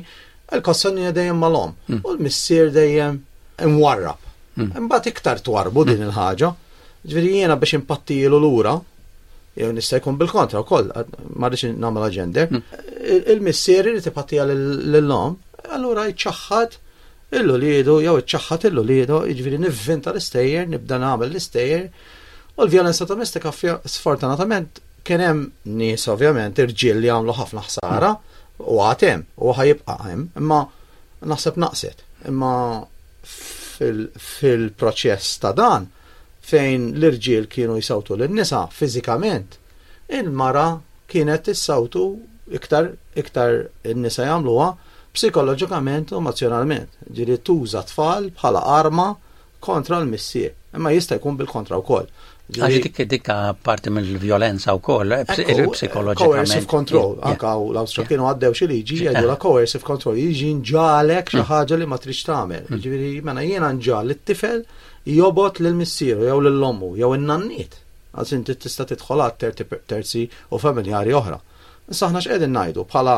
il-konnessjoni dejjem mal-omm. Hmm. U l-missier dejjem imwarrab. Hmm. Imbagħad iktar twarbu din il-ħaġa. Ġifieri jiena biex impattilu lura, jew nista' jkun bil-kontra wkoll, ma rridx nagħmel gender, il-missier irid ipattija lill-omm. Allura jċaħħad il-uliedu jew iċċaħħad il-uliedu, jiġifieri nivvinta l-istejjer, nibda nagħmel l-istejjer. U l-vjolenza domestika sfortunatament kien hemm nies ovvjament irġiel li għamlu ħafna ħsara u għad hemm u ħajibqa' hemm, imma naħseb naqset. Imma fil-proċess ta' dan fejn l-irġiel kienu jsawtu lin-nisa fiżikament, il-mara kienet issawtu iktar iktar in-nisa jagħmluha psikoloġikament u emozjonalment. Ġieli tuża tfal bħala arma kontra l-missier. Imma jista' jkun bil-kontra wkoll. Għax dik dik parti mill-vjolenza wkoll, eh, psikoloġikament. Coercive control, anka l-Awstra kienu għaddew xi liġi jgħidu la coercive control, jiġi nġalek xi mm. ħaġa li ma tridx tagħmel. Mm. Ġifieri mela jiena nġal it-tifel jobot lil missieru jew lil ommu jew in-nanniet. Għax inti tista' tidħol għal terzi u familjari oħra. Issa aħna x'qegħdin ngħidu bħala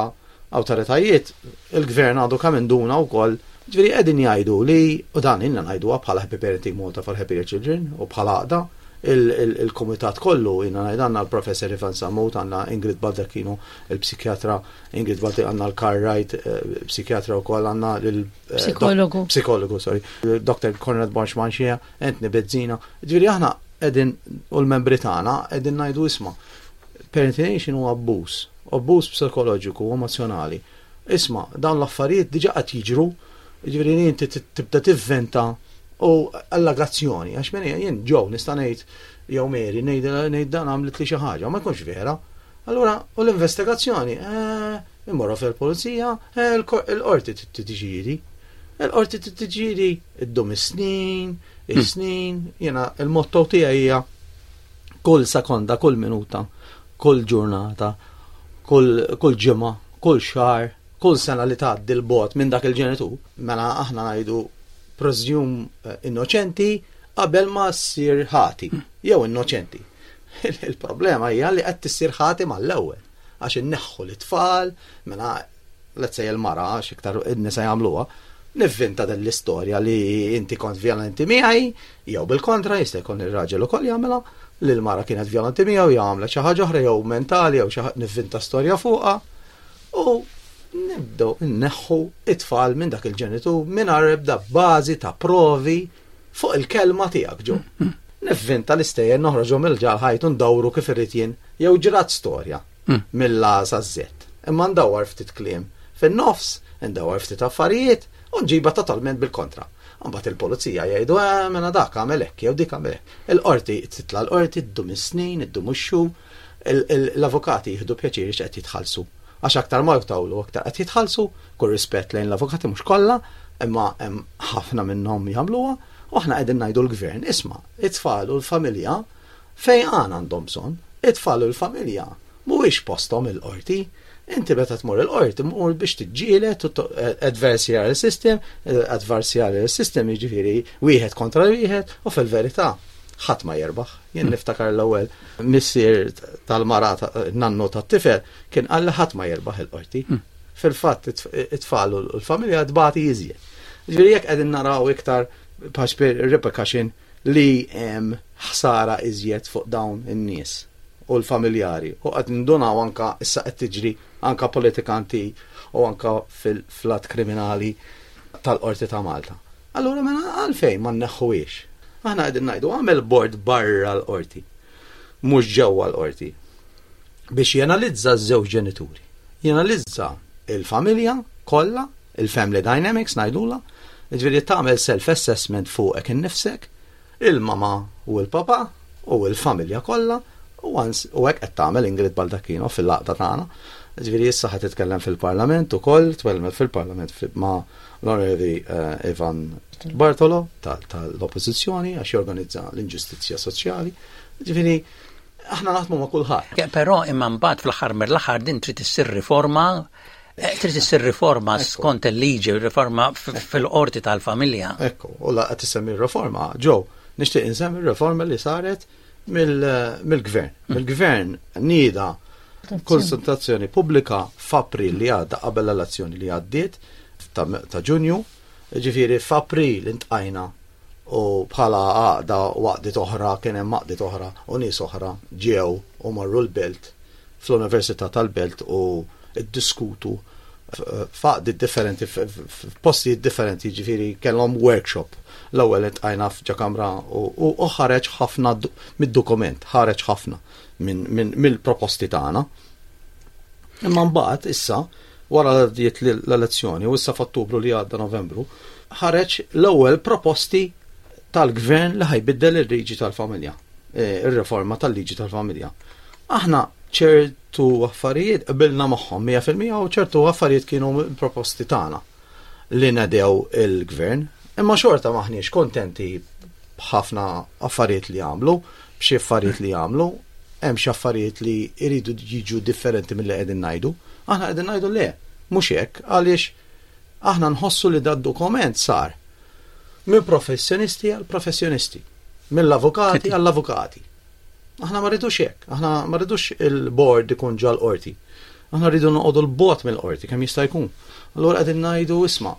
awtoritajiet, il-gvern għadu kemm induna wkoll, ġifieri qegħdin jgħidu li, u dan ilna ngħiduha bħala Happy Parenting Malta for Happier Children u bħala għaqda, il-kumitat kollu ilna ngħidu għandna l-Professor Ivan Sammut, għandna Ingrid Baldacchino, il-psikjatra Ingrid Baldacchino, għandna l-Carl Wright, eh, psikjatra wkoll, għandna l eh, Psikologu. Psikologu, sorry. Dr. Konrad Borx Manxija, Anthony Bezzina. Ġifieri aħna qegħdin u l-membri tagħna qegħdin ngħidu isma' Parentination huwa abbuż, abbuż psikoloġiku u emozzjonali. Isma', dawn l-affarijiet diġà qed jiġru, jiġifieri li inti tibda tivventa u allegazzjoni, għax minn jien ġew nista' ngħid jew Mary ngħid dan għamlet li xi ħaġa, ma jkunx vera. Allura, u l-investigazzjoni, eh, immorru fil-pulizija, eh, il-qorti tiddeċiedi. Il-qorti tiddeċiedi iddum is-snin, is-snin, jiena il-motto tiegħi hija kull sekonda, kull minuta, kull ġurnata, kull, kull ġimgħa, kull xahar, kull sena li tgħaddi l-bot minn dak il-ġenitur, mela aħna ngħidu presume eh, innoċenti qabel ma ssir ħati, jew innoċenti. Il-problema hija li qed tissir ħati mal-ewwel għax inneħħu l-itfal, mela let's say il-mara, għax iktar in-nisa jagħmluha, nivvinta din l-istorja li inti kont vjolenti miegħi, jew bil-kontra jista' jkun ir-raġel ukoll jagħmilha, li l-mara kienet vjolenti miegħu jew għamlet xi ħaġa oħra jew mentali jew xi nivvinta storja fuqha u nibdew inneħħu it-tfal minn dak il-ġenitur mingħajr ebda bażi ta' provi fuq il-kelma tiegħek ġo. Nivvinta l-istejjer noħroġhom il-ġal ħajt u ndawru kif irrid jien jew ġrat storja. Mill-A saż-Z. Imma ndawwar ftit kliem fin-nofs, indawwar ftit affarijiet u nġibha totalment bil-kontra. Imbagħad il-pulizija jgħidu, eh, mela dak għamel hekk jew dik għamel hekk. Il-qorti titla' l-qorti, ddum is-snin, iddum ix-xhur, l-avukati jieħdu pjaċir għax qed jitħallsu. Għax aktar ma jtawlu aktar qed jitħallsu, kull rispett lejn l-avukati mhux kollha, imma hemm ħafna minnhom jagħmluha, u aħna qegħdin ngħidu l-gvern, isma' it-tfal u l-familja Fejqan għandhom bżonn. It-tfal u l-familja mhuwiex posthom il-qorti. Inti meta tmur il-qorti mur biex tiġġieled adversarial system, adversarial system jiġifieri wieħed kontra wieħed u fil-verità ħadd ma jirbaħ. Jien niftakar l-ewwel missier tal-mara nannu tat-tifel kien qal li ħadd ma jirbaħ il-qorti. Hmm. Fil-fatt it-tfal u l-familja tbati iżjed. Ġifieri jekk qegħdin naraw iktar repercussion li hemm ħsara iżjed fuq dawn in-nies u l-familjari u qed nindunaw anka issa qed tiġri anka politikanti u anka fil-flat kriminali tal-Qorti ta' Malta. Allura mela għalfejn ma nneħħuhiex? Aħna qegħdin ngħidu għamel bord barra l-qorti, mhux ġewwa l-qorti, biex jenalizza ż-żewġ ġenituri. Jenalizza il-familja kollha Il-family dynamics ngħidulha, jiġifieri tagħmel self-assessment fuqek innifsek, il-mama u l-papa u l-familja kollha u u hekk qed tagħmel Ingrid Baldacchino fil-għaqda tagħna. Jiġifieri issa ħa titkellem fil-Parlament ukoll, tkellmet fil-Parlament ma' l-Onorevoli eh, Ivan Bartolo tal-Oppożizzjoni għax jorganizza l-inġustizzja soċjali. Jiġifieri aħna naħdmu ma' kulħadd. Però imma mbagħad fl-aħħar mill-aħħar din trid issir riforma Eh, trid issir riforma skont il-liġi, riforma fil-qorti tal-familja. Ekku, u laqgħa tisemmi riforma, ġew, nixtieq insemmi riforma li saret mill-gvern. Mm. Mill-gvern nieda konsultazzjoni pubblika f'April li għadda qabel l-elezzjoni li għaddiet ta' Ġunju, ġifieri f'April intqajna u bħala għaqda u għaqdiet oħra kien hemm għaqdiet oħra u nies oħra ġew u marru l-belt fl-Università tal-Belt u ddiskutu f'għaqdiet differenti, f'postijiet differenti, jiġifieri kellhom workshop. L-ewwel iltqajna f'ġo kamra u ħareġ ħafna mid-dokument, ħareġ ħafna mill-proposti tagħna. Imma mbagħad issa wara li għaddiet l-elezzjoni u issa f'Ottubru li għadda Novembru, ħareġ l-ewwel proposti tal-gvern li ħajbiddel il-liġi tal-familja, eh, ir-riforma tal-liġi tal-familja. Aħna ċertu affarijiet qbilna magħhom 100% u ċertu affarijiet kienu proposti tagħna li nedew il-gvern, imma xorta maħniex kontenti b'ħafna affarijiet li għamlu, b'xi affarijiet li għamlu, hemm xi affarijiet li jridu jiġu differenti milli qegħdin ngħidu. Aħna qegħdin ngħidu le, mhux hekk, għaliex aħna nħossu li dad-dokument sar minn professjonisti għal professjonisti, mill-avukati għall-avukati. Aħna ma rridux hekk, aħna ma rridux il-board ikun ġal qorti. Aħna rridu noqogħdu l-bot mill-qorti kemm jista' jkun. Allura qegħdin ngħidu isma'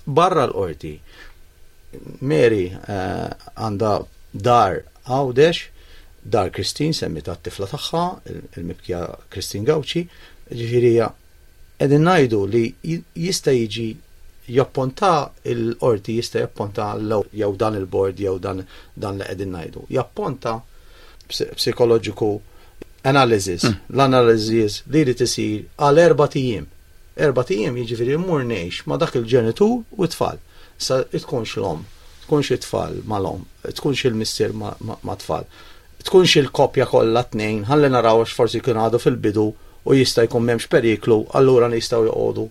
barra l-qorti. Mary eh, għandha dar Għawdex, dar Christine semmita t-tifla tagħha, il-mibkija Christine Gauci, ġifieri qegħdin ngħidu li jista' jiġi japponta il-qorti jista' japponta jew dan il-bord jew dan dan li qegħdin ngħidu. Japponta psikoloġiku analysis, mm. l-analysis li jrid isir għal erba' ijiem. Erbat ijiem jiġifieri mmur ngħix ma' dak il-ġenitur u t-tfal. Issa tkunx l-omm, tkunx it-tfal mal-omm, tkunx il-missier mat-tfal, tkunx il-koppja kollha t-tnejn, ħalli naraw għax forsi jkun għadu fil-bidu u jista' jkun m'hemmx periklu, allura nistgħu joqogħdu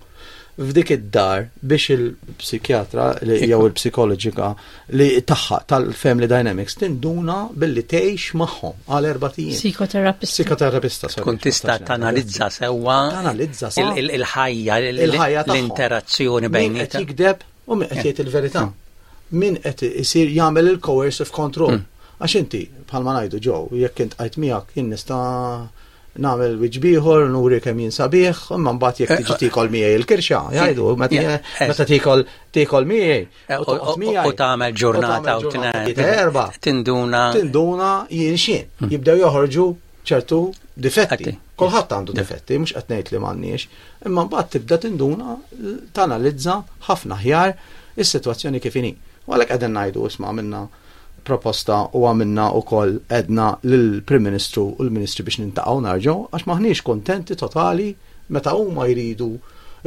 f'dik id-dar biex il-psikjatra jew il-psikoloġika li tagħha tal-family dynamics tinduna billi tgħix magħhom għal erba' ijiem. Psikoterapista. Psikoterapista. Tkun tista' tanalizza sewwa tanalizza sewwa il-ħajja, l-interazzjoni bejn qed jikdeb u min qed jgħid il-verità. Min qed isir jagħmel il-coercive control. Hmm. Għax inti bħalma ngħidu ġew, jekk int qajt miegħek jien nista' nagħmel wiċċ bieħor, nuri kemm jien sabiħ, imma mbagħad jekk tiġi tikol miegħi il-kirxa, jgħidu, meta tikol tikol miegħi, Eh, u tagħmel ġurnata u erba. Tinduna. Tinduna jien xien. Hmm. Jibdew joħorġu ċertu difetti. Kulħadd għandu difetti, mhux qed ngħid li m'għandniex, imma mbagħad tibda tinduna tanalizza ħafna ħjar is-sitwazzjoni kif inhi. U għalhekk qegħdin ngħidu isma' għamilna proposta u għamilna wkoll edna lill-Prim Ministru u l-Ministri biex nintaqgħu narġgħu għax maħniex kontenti totali Meta huma jridu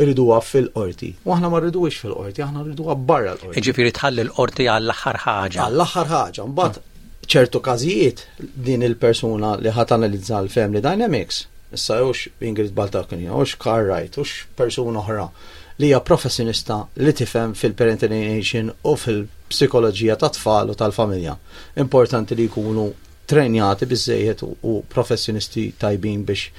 jriduha fil-qorti. U aħna ma rriduhiex fil-qorti, aħna rriduha barra l-qorti. Jiġifieri tħalli l-qorti għall-aħħar ħaġa. Għall-aħħar ħaġa. Mbagħad ċertu każijiet din il-persuna li ħa tanalizza l-family dynamics, issa hux Ingrid Baldacchini, hux Carl Wright, hux persuna oħra li hija professjonista li tifhem fil-parental alienation u fil-psikoloġija tat-tfal u tal-familja. Importanti li jkunu trenjati biżżejjed u professjonisti tajbin biex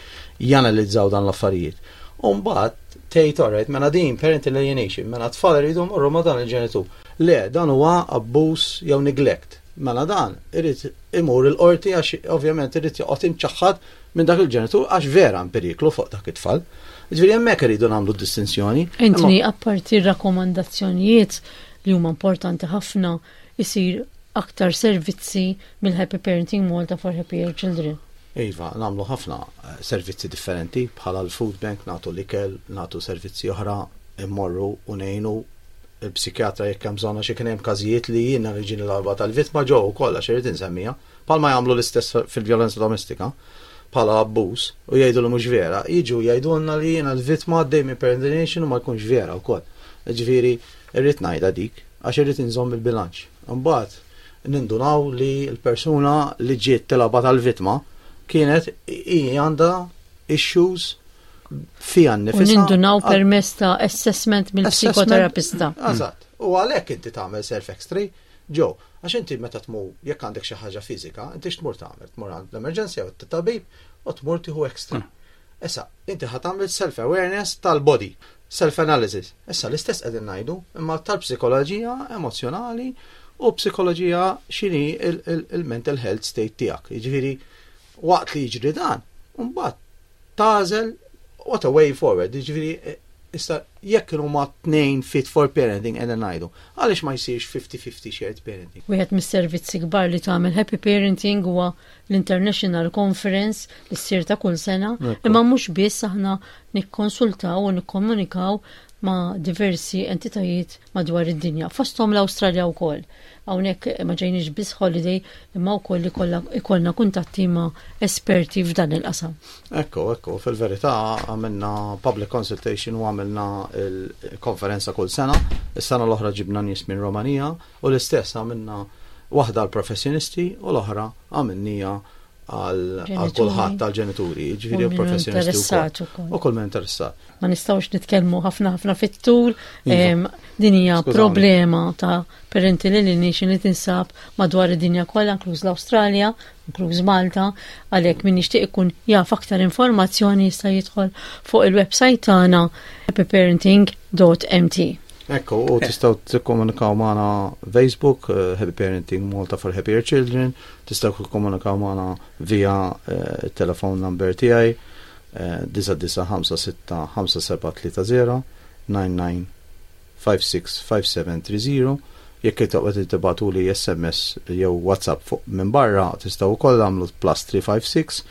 janalizzaw dan l-affarijiet. U mbagħad tgħid alright, mela din parental alienation, mela tfal iridu jmorru ma' dan il-ġenitur. Le, dan huwa abbuż jew neglect. Mela dan irid imur il-qorti għax ovvjament irid joqgħod imċaħħad minn dak il-ġenitur għax vera hemm periklu fuq dak it-tfal. Ġifieri hemmhekk iridu nagħmlu distinzjoni. Anthony, apparti r-rakkomandazzjonijiet li huma importanti ħafna, isir aktar servizzi mill-Happy Parenting Malta for Happier Children. Iva, nagħmlu ħafna eh, servizzi differenti bħala l-food bank, nagħtu l-ikel, nagħtu servizzi oħra, immorru u ngħinu il-psikjatra jekk hemm bżonn għax kien hemm każijiet li jiena li ġieni l-arba tal-vittma ġew ukoll għax irid insemmiha, bħalma jagħmlu l-istess fil-vjolenza domestika bħala abbuż u jgħidu li mhux vera, jiġu jgħidulna li jiena l-vittma għaddej minn parent u ma jkunx vera wkoll. Ġifieri irrid ngħidha dik għax irrid inżomm il-bilanċ. Imbagħad nindunaw li l-persuna li ġiet tilgħabha tal-vittma kienet hi għandha issues fiha nnifisha. U nindunaw permezz ta' assessment mill-psikoterapista. Eżatt. U għalhekk inti tagħmel self-x-ray ġo, għax inti meta tmur jekk għandek xi ħaġa fiżika, inti x'tmur tagħmel? Tmur għand l-emerġenza jew t-tabib u tmur tieħu x-ray. Mm. Issa, inti ħa tagħmel self-awareness tal-body, self-analysis. Issa l-istess qegħdin ngħidu, imma tal-psikoloġija emozzjonali u psikoloġija x'inhi il-mental health state tiegħek. Jiġifieri waqt li jiġri dan, mbagħad tagħżel what a way forward. Jiġifieri Issa jekk huma tnejn fit for parenting qegħdin ngħidu, għaliex ma jsirx 50-50 shared parenting? Wieħed mis-servizzi kbar li tagħmel Happy Parenting huwa l-International Conference li ssir ta' kull sena, imma mhux biss aħna nikkonsultaw u nikkomunikaw ma' diversi entitajiet madwar id-dinja, fosthom l-Awstralja wkoll. Hawnhekk ma ġejniex biss holiday imma wkoll ikollna kuntatti ma' esperti f'dan il-qasam. Ekku, ekku, fil-verità għamilna public consultation u għamilna il-konferenza kull sena. Is-sena l-oħra ġibna nies minn Romanija u l-istess għamilna waħda għal professjonisti u l-oħra għamilnija għal kulħadd tal-ġenituri, ġifieri professjonisti wkoll. U kull min interessat. Ma nistgħux nitkellmu ħafna ħafna fit-tul, iva. din hija problema ta' parental alienation li tinsab madwar id-dinja kollha, inkluż l-Awstralja, inkluż Malta, għalhekk min jixtieq ikun jaf aktar informazzjoni jista' jidħol fuq il-website tagħna happyparenting.mt. Ekku, u tistgħu tikkomunikaw magħna Facebook, eh, Happy Parenting Malta for Happier Children, Tistgħu tikkomunikaw magħna via telefon number tiegħi 99565730 99565730 Jekk toqgħod tibgħatuli SMS jew WhatsApp fuq minn barra tistgħu wkoll għamlu plus 356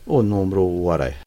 u n-numru warajh.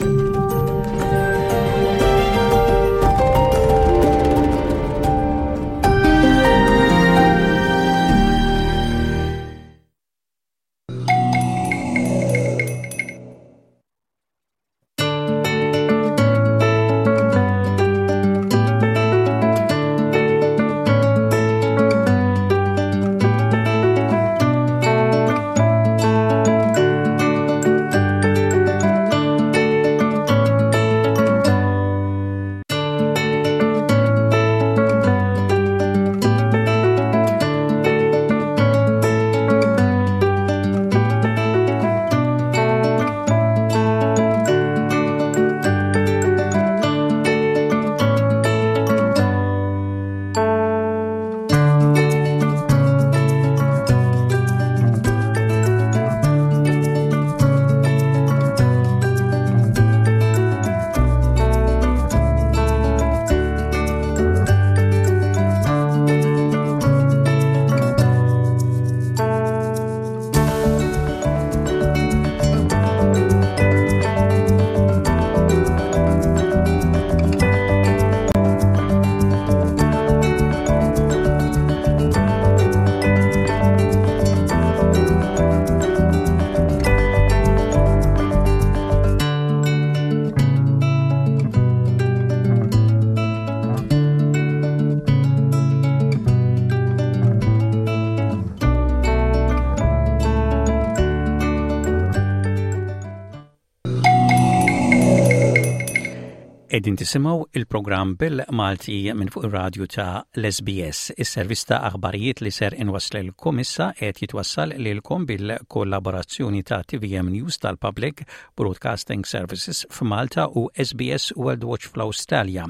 Qegħdin tisimgħu il-programm bil-Malti minn fuq ir-radju ta' l-SBS. Is-servizz ta' aħbarijiet li ser inwasslilkom issa qed jitwassal lilkom bil-kollaborazzjoni ta' TVM News tal-Public Broadcasting Services f'Malta u SBS World Watch fl-Awstralja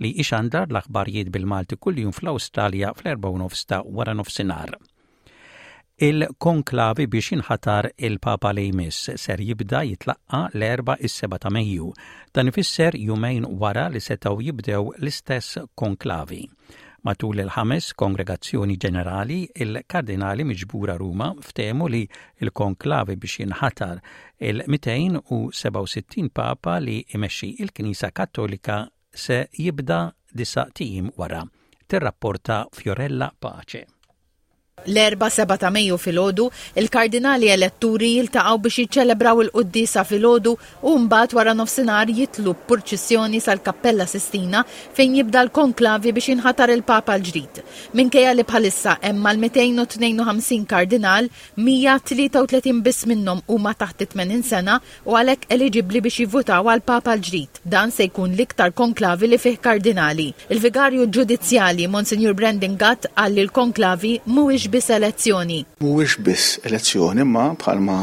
li ixandar l-aħbarijiet bil-Malti kuljum fl-Awstralja fl-4 ta' wara nofsinhar. Il-konklavi biex jinħatar il-Papa li jmiss ser jibda jitlaqqa' l-Erbgħa is-7 ta' Mejju. Dan ifisser jumejn wara li setgħu jibdew l-istess konklavi. Matul il-ħames Kongregazzjoni Ġenerali, il-Kardinali miġbura Ruma ftehmu li l-konklavi biex jinħatar il-267 Papa li jmexxi l-Knisja Kattolika se jibda disat ijiem wara, tirrapporta Fiorella Pace. L-Erbgħa 7 ta' Mejju filgħodu, il-Kardinali eletturi jiltaqgħu biex jiċċelebraw il-quddiesa filgħodu u mbagħad wara nofsinhar jitlu b'purċissjoni sal-Kappella Sistina fejn jibda l-konklavi biex jinħatar il-Papa l-ġdid. Minkejja li bħalissa hemm mal-252 kardinal, 133 biss minnhom huma taħt it-80 sena u għalhekk eliġibbli biex jivvutaw għall-Papa l-ġdid. Dan se jkun l-iktar konklavi li fih kardinali. Il-Vigarju Ġudizzjali, Monsinjur Brandon Gatt qal li l-konklavi mhuwiex mhijiex biss elezzjoni. Mhuwiex biss elezzjoni imma bħalma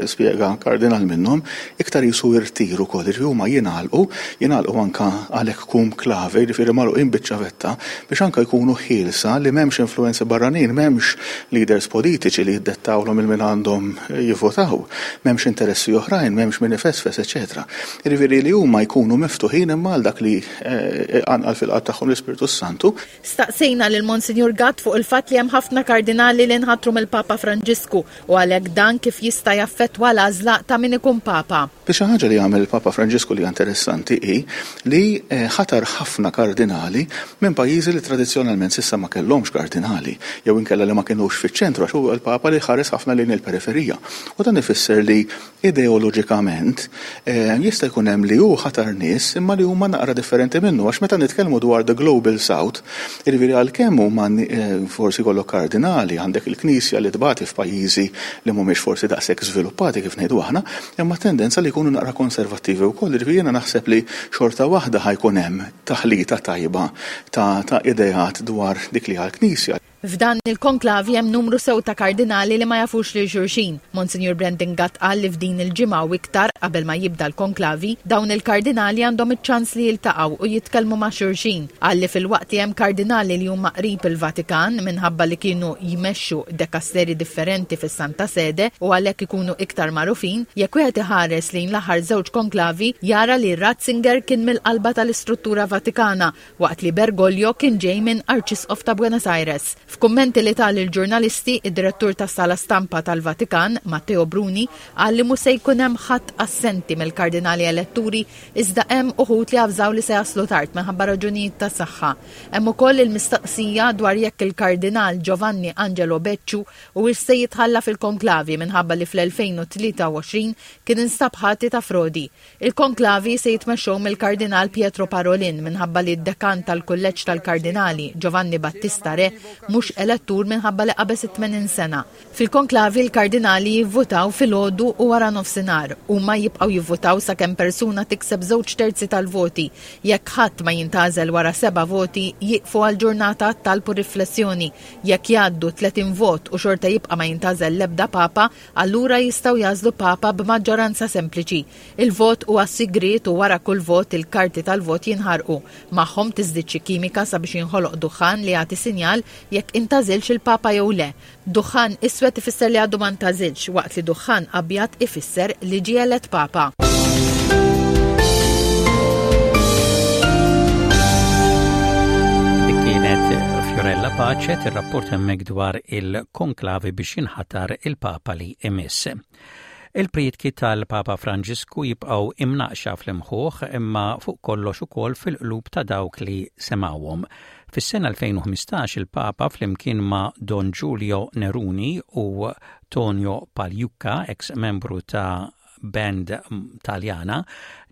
spjega kardinal minnhom, iktar qisu irtir ukoll, jiġifieri huma jingħalqu, jingħalqu anke għalhekk cum clave, jiġifieri magħluqin biċ-ċavetta biex anke jkunu ħielsa li m'hemmx influwenzi barranin, m'hemmx leaders politiċi li jiddettawlhom il min għandhom jivvotaw, m'hemmx interessi oħrajn, m'hemmx min ifesfes, eċċetera. Jiġifieri li huma jkunu miftuħin imma għal dak li iqanqal fil-qalb tagħhom l-Ispirtu s-Santu. Staqsejna lil Monsinjur Gatt fuq il-fatt li hemm ħafna kardinali li nħatru mill-Papa Franġisku u għalhekk dan kif jista' jaffettwa l-għażla ta' min ikun Papa. Xi ħaġa li għamel il-Papa Franġisku li hija interessanti hi li ħatar ħafna kardinali minn pajjiżi li tradizzjonalment s'issa ma kellhomx kardinali jew inkella li ma kinux fiċ-ċentru għax hu l-Papa li ħares ħafna lejn il-periferija. U dan ifisser li Ideoloġikament, jista' jkun hemm li hu ħatar nies imma li huma naqra differenti minnu għax meta nitkellmu dwar the global south, jiġifieri għalkemm huma forsi jkollok kardinali, għandek il-Knisja li tbati f'pajjiżi li mhumiex forsi daqshekk żviluppati kif ngħidu aħna, imma tendenza li jkunu naqra konservattivi wkoll, jiġifieri jiena naħseb li xorta waħda ħa jkun hemm taħlita tajba ta' ideat dwar dik li hija l-Knisja. F'dan il-konklavi hemm numru sew ta' kardinali li ma jafux lil xulxin. Monsinjur Brendan Gatt qal li f'din il-ġimgħa u iktar qabel ma jibda l-konklavi, dawn il-kardinali għandhom iċ-ċans li jiltaqgħu u jitkellmu ma' xulxin. Qal li filwaqt li hemm kardinali li huma qrib il-Vatikan minħabba li kienu jmexxu dekasteri differenti fis-Santa Sede u għalhekk ikunu iktar magħrufin, jekk wieħed iħares lejn l-aħħar żewġ konklavi jara li Ratzinger kien mill-qalba tal-istruttura Vatikana waqt li Bergoglio kien ġej minn Arċisqof ta' Buenos Aires. F'kummenti li ta lill-ġurnalisti, id-Direttur tas-Sala Stampa tal-Vatikan, Matteo Bruni, qal li mhu se jkun hemm ħadd assenti mill-kardinali eletturi iżda hemm uħud li avżaw li se jaslu tard minħabba raġunijiet ta' saħħa. Hemm ukoll il-mistaqsija dwar jekk il-Kardinal Giovanni Angelo Becciu huwiex se jitħalla fil-konklavi minħabba li fl-2023 kien instab ħati ta' frodi. Il-konklavi se jitmexxew mill-Kardinal Pietro Parolin minħabba li d-Dekan tal-Kulleġġ tal-Kardinali, Giovanni Battista Re, mhux elettur minħabba li qabeż it-80 sena. Fil-konklavi l-kardinali jivvutaw filgħodu u wara nofsinhar. Huma jibqgħu jivvutaw sakemm persuna tikseb żewġ terzi tal-voti. Jekk ħadd ma jintgħażel wara seba' voti, jieqfu għal ġurnata għat-talb u riflessjoni. Jekk jgħaddu 30 vot u xorta jibqa' ma jintgħażel l-ebda Papa, Allura jistgħu jagħżlu Papa b'maġġoranza sempliċi. Il-vot huwa sigriet u wara kull vot il-karti tal-vot jinħarqu. Magħhom tiżdied xi kimika sabiex jinħoloq duħħan li jagħti sinjal jekk intgħażilx il-Papa jew le. Duħħan iswed ifisser li għadu ma ntgħażilx, waqt li duħħan abjad ifisser li ġie elett Papa. Dik kienet Fiorella Pace tirrapporta hemmhekk dwar il-konklavi biex jinħatar il-Papa li imiss. Il-prietki tal-Papa Franġisku jibqgħu imnaqxa fl-imħuħ imma fuq kollox ukoll fil-qlub ta' dawk li semgħuhom. Fis-sena 2015 il-Papa flimkien ma' Don Giulio Neruni u Tonio Pagliuca, ex membru ta' band Taljana,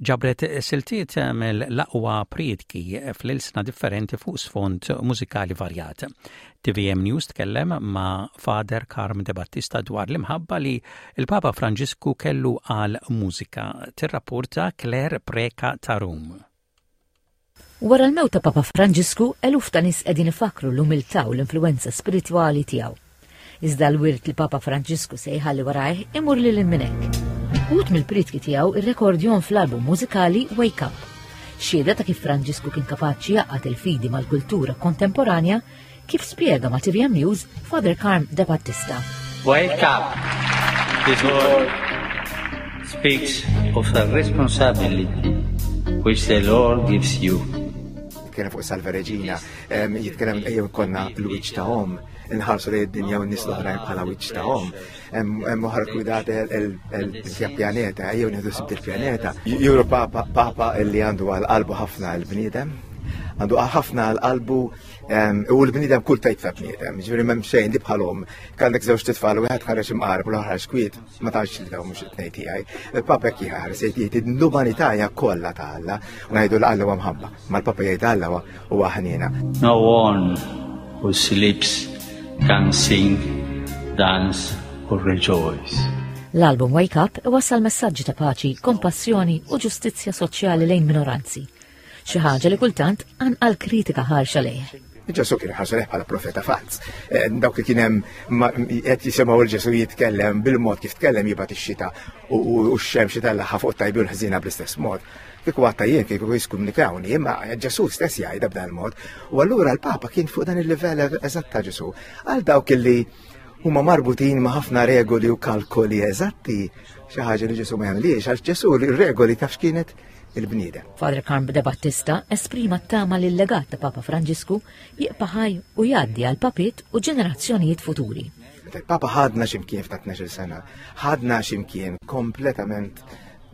ġabret siltiet mill-aqwa prietki fl-ilsna differenti fuq sfond mużikali varjat. TVM News tkellem ma' Father Carm De Battista dwar l-imħabba li l-Papa Franġisku kellu għal mużika, tirrapporta Claire Preca ta' Rum. Wara l-mewt ta' Papa Franġisku, eluf ta' nies qegħdin ifakkru l-umiltà u l-influwenza spiritwali tiegħu. Iżda l-wirt li Papa Franġisku se jħalli warajh imur lil hinn minn hekk. Uħud mill-prietki tiegħu irrekordjhom fl-album mużikali Wake Up. Xhieda ta' kif Franġisku kien kapaċi jgħaqqad il-fidi mal-kultura kontemporanja kif spjega ma' TVM News Father Carm De Battista. Wake up! This word speaks of the responsibility which the Lord gives you. Jitkellem fuq Salve Regina, jitkellem ejjew konna l-wiċċ ta' omm, inħarsu lejn id-dinja u n-nies l-oħrajn bħala wiċċ ta' omm. Hemm oħra kwidate il-pjaneta, ejjew nieħdu sibt il-pjaneta. Juru papa, papa li għandu għal qalbu ħafna l-bniedem, għandu ħafna għal qalbu U l-bniedem kull tajt ta' bniedem, ġifieri m'hemm xejn li bħalhom. Għandek żewġ titfal u wieħed ħareġ imqarb u l-oħra kwiet, ma tafx li dawn mhux it-tnejn tiegħi. Il-Papa hekk jħares jgħid l-umanità hija kollha ta' Alla u ngħidu l Alla huwa mħabba, ma l-Papa jgħid Alla huwa ħniena. No one who sleeps can sing, dance or rejoice. L-album Wake Up iwassal messaġġi ta' paċi, kompassjoni u ġustizzja soċjali lejn minoranzi. Xi ħaġa li kultant anqal kritika ħarxa lejh. Ġesu kien ħarsu lejh bħala profeta falz. Eh, dawk li kien hemm qed jisimgħu l Ġesu jitkellem bil-mod kif tkellem jibgħat ix-xita u x-xemx itellaħħa fuq tajbi u l-ħżiena bl-istess mod. Kieku għatta jien kieku jiskumnikawni, imma Ġesu stess jgħidha b'dan il-mod. U allura l-Papa kien fuq dan il-livell eżatt ta' Ġesu. Għal dawk li huma marbutin ma' ħafna regoli u kalkoli eżatti, xi ħaġa li Ġesu ma jagħmlix, għax Ġesu r-regoli taf x'kienet il-bniedem. Father Carm de Battista esprima t-tama li l-legat ta' Papa Franġisku jibqa' ħaj u jgħaddi għal papiet u ġenerazzjonijiet futuri. Meta il-Papa ħadna x'imkien f'ta' 12 sena, ħadna x'imkien kompletament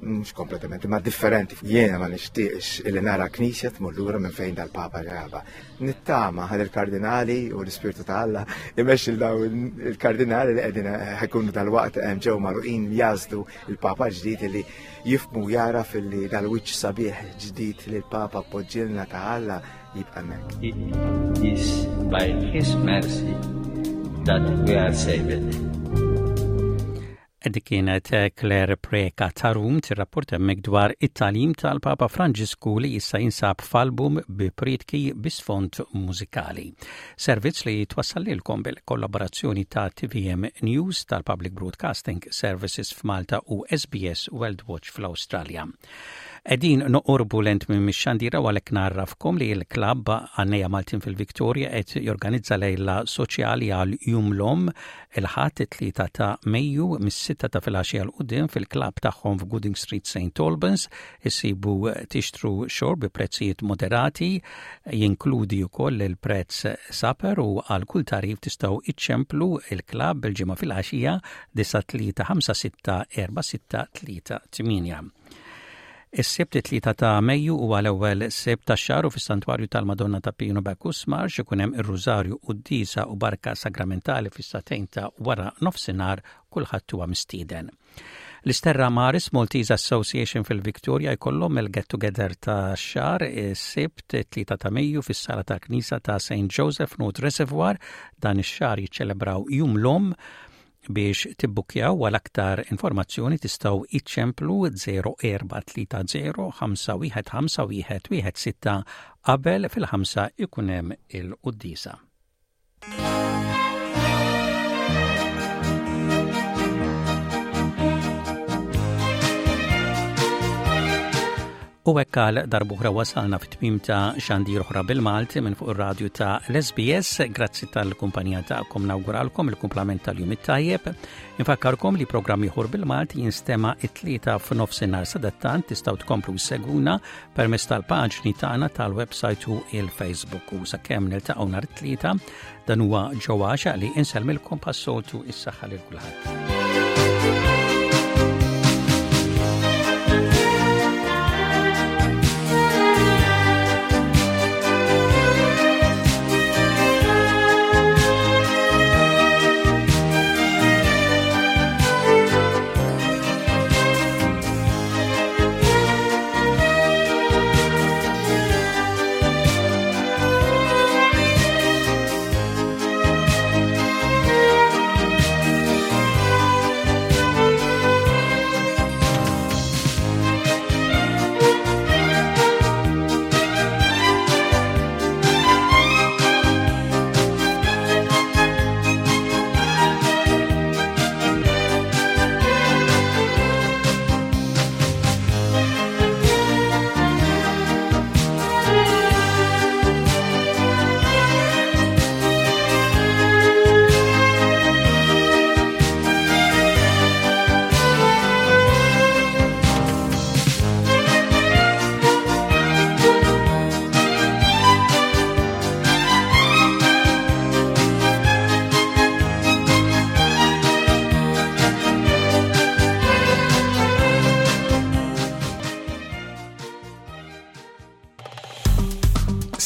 mhux kompletament, imma differenti. Jiena ma nixtieqx illi nara knisja tmur lura minn fejn dal-Papa ġaba. Nittama ħal il-kardinali u l-Ispirtu ta' Alla imexxi daw il-kardinali li qegħdin ħajkunu dal-waqt ġew magħluqin jażdu il-Papa ġdid li jifhmu jaraf li dal-wiċċ sabiħ ġdid li l-Papa poġġilna ta' Alla jibqa' hemmhekk. It is by His mercy that we are saved. Dik kienet Claire Preca Tarum tirrapporta hemmhekk dwar it-tagħlim tal-Papa Franġisku li issa jinsab f'album bi prietki bi sfond mużikali. Servizz li twassal lilkom bil-kollaborazzjoni ta' TVM News tal-Public Broadcasting Services f'Malta u SBS World Watch fl-Awstralja. Qegħdin noqorbu lent minn mix-xandira u għalhekk ngħarrafkom li l-klabb Għannejja Maltin fil-Victoria qed jorganizza lejla soċjali għal Jum l-Omm il-Ħadd it-3 ta' Mejju mis-sitta ta' filgħaxija 'l quddiem fil-klabb tagħhom f'Gooding Street St Albans. Issibu tixtru xorb bi prezzijiet moderati, jinkludi wkoll il-prezz supper u għal kull tagħrif tistgħu iċċemplu il-klabb il-Ġimgħa filgħaxija 9356 4638. Is-Sibt it-3 ta' Mejju huwa l-ewwel Sibt tax-xahar u fis-Santwarju tal-Madonna ta' Pino Bacchus Marx ikun hemm ir-Rużarju, quddiesa u barka sagramentali fis-sagħtejn ta' wara nofsinhar kulħadd huwa mistieden. L-Isterra Maris Maltese Association fil-Victoria jkollhom il-get together ta' xahar is-Sibt 3 ta' Mejju fis-sala tal-Knisja ta' St. Joseph North Reservoir dan ix-xahar jiċċelebraw Jum l-Omm Biex tibbukkjaw għal aktar informazzjoni tistgħu iċċemplu 0430 515 116 qabel fil-ħamsa ikun hemm il-quddiesa. U hekk għal darb'oħra wasalna fit-tmiem ta' xandir oħra bil-Malti minn fuq ir-radju ta' l-SBS. Grazzi tal-kumpanija tagħkom nawguralkom il-kumplament tal-jum it-tajjeb. Infakkarkom li programm ieħor bil-Malti jinstema' it-tlieta f'nofsinhar sadattant tistgħu tkomplu seguna permezz tal-paġni tagħna tal-website u il-Facebook. U sakemm niltaqgħu nhar it-tlieta Dan huwa Joe Għaxa li insellmilkom bħas-soltu is-saħħa lil kulħadd.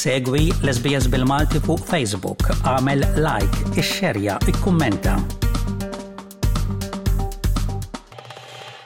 Segwi l-SBS bil-Malti fuq Facebook, għamel like, ixxerja, ikkummenta.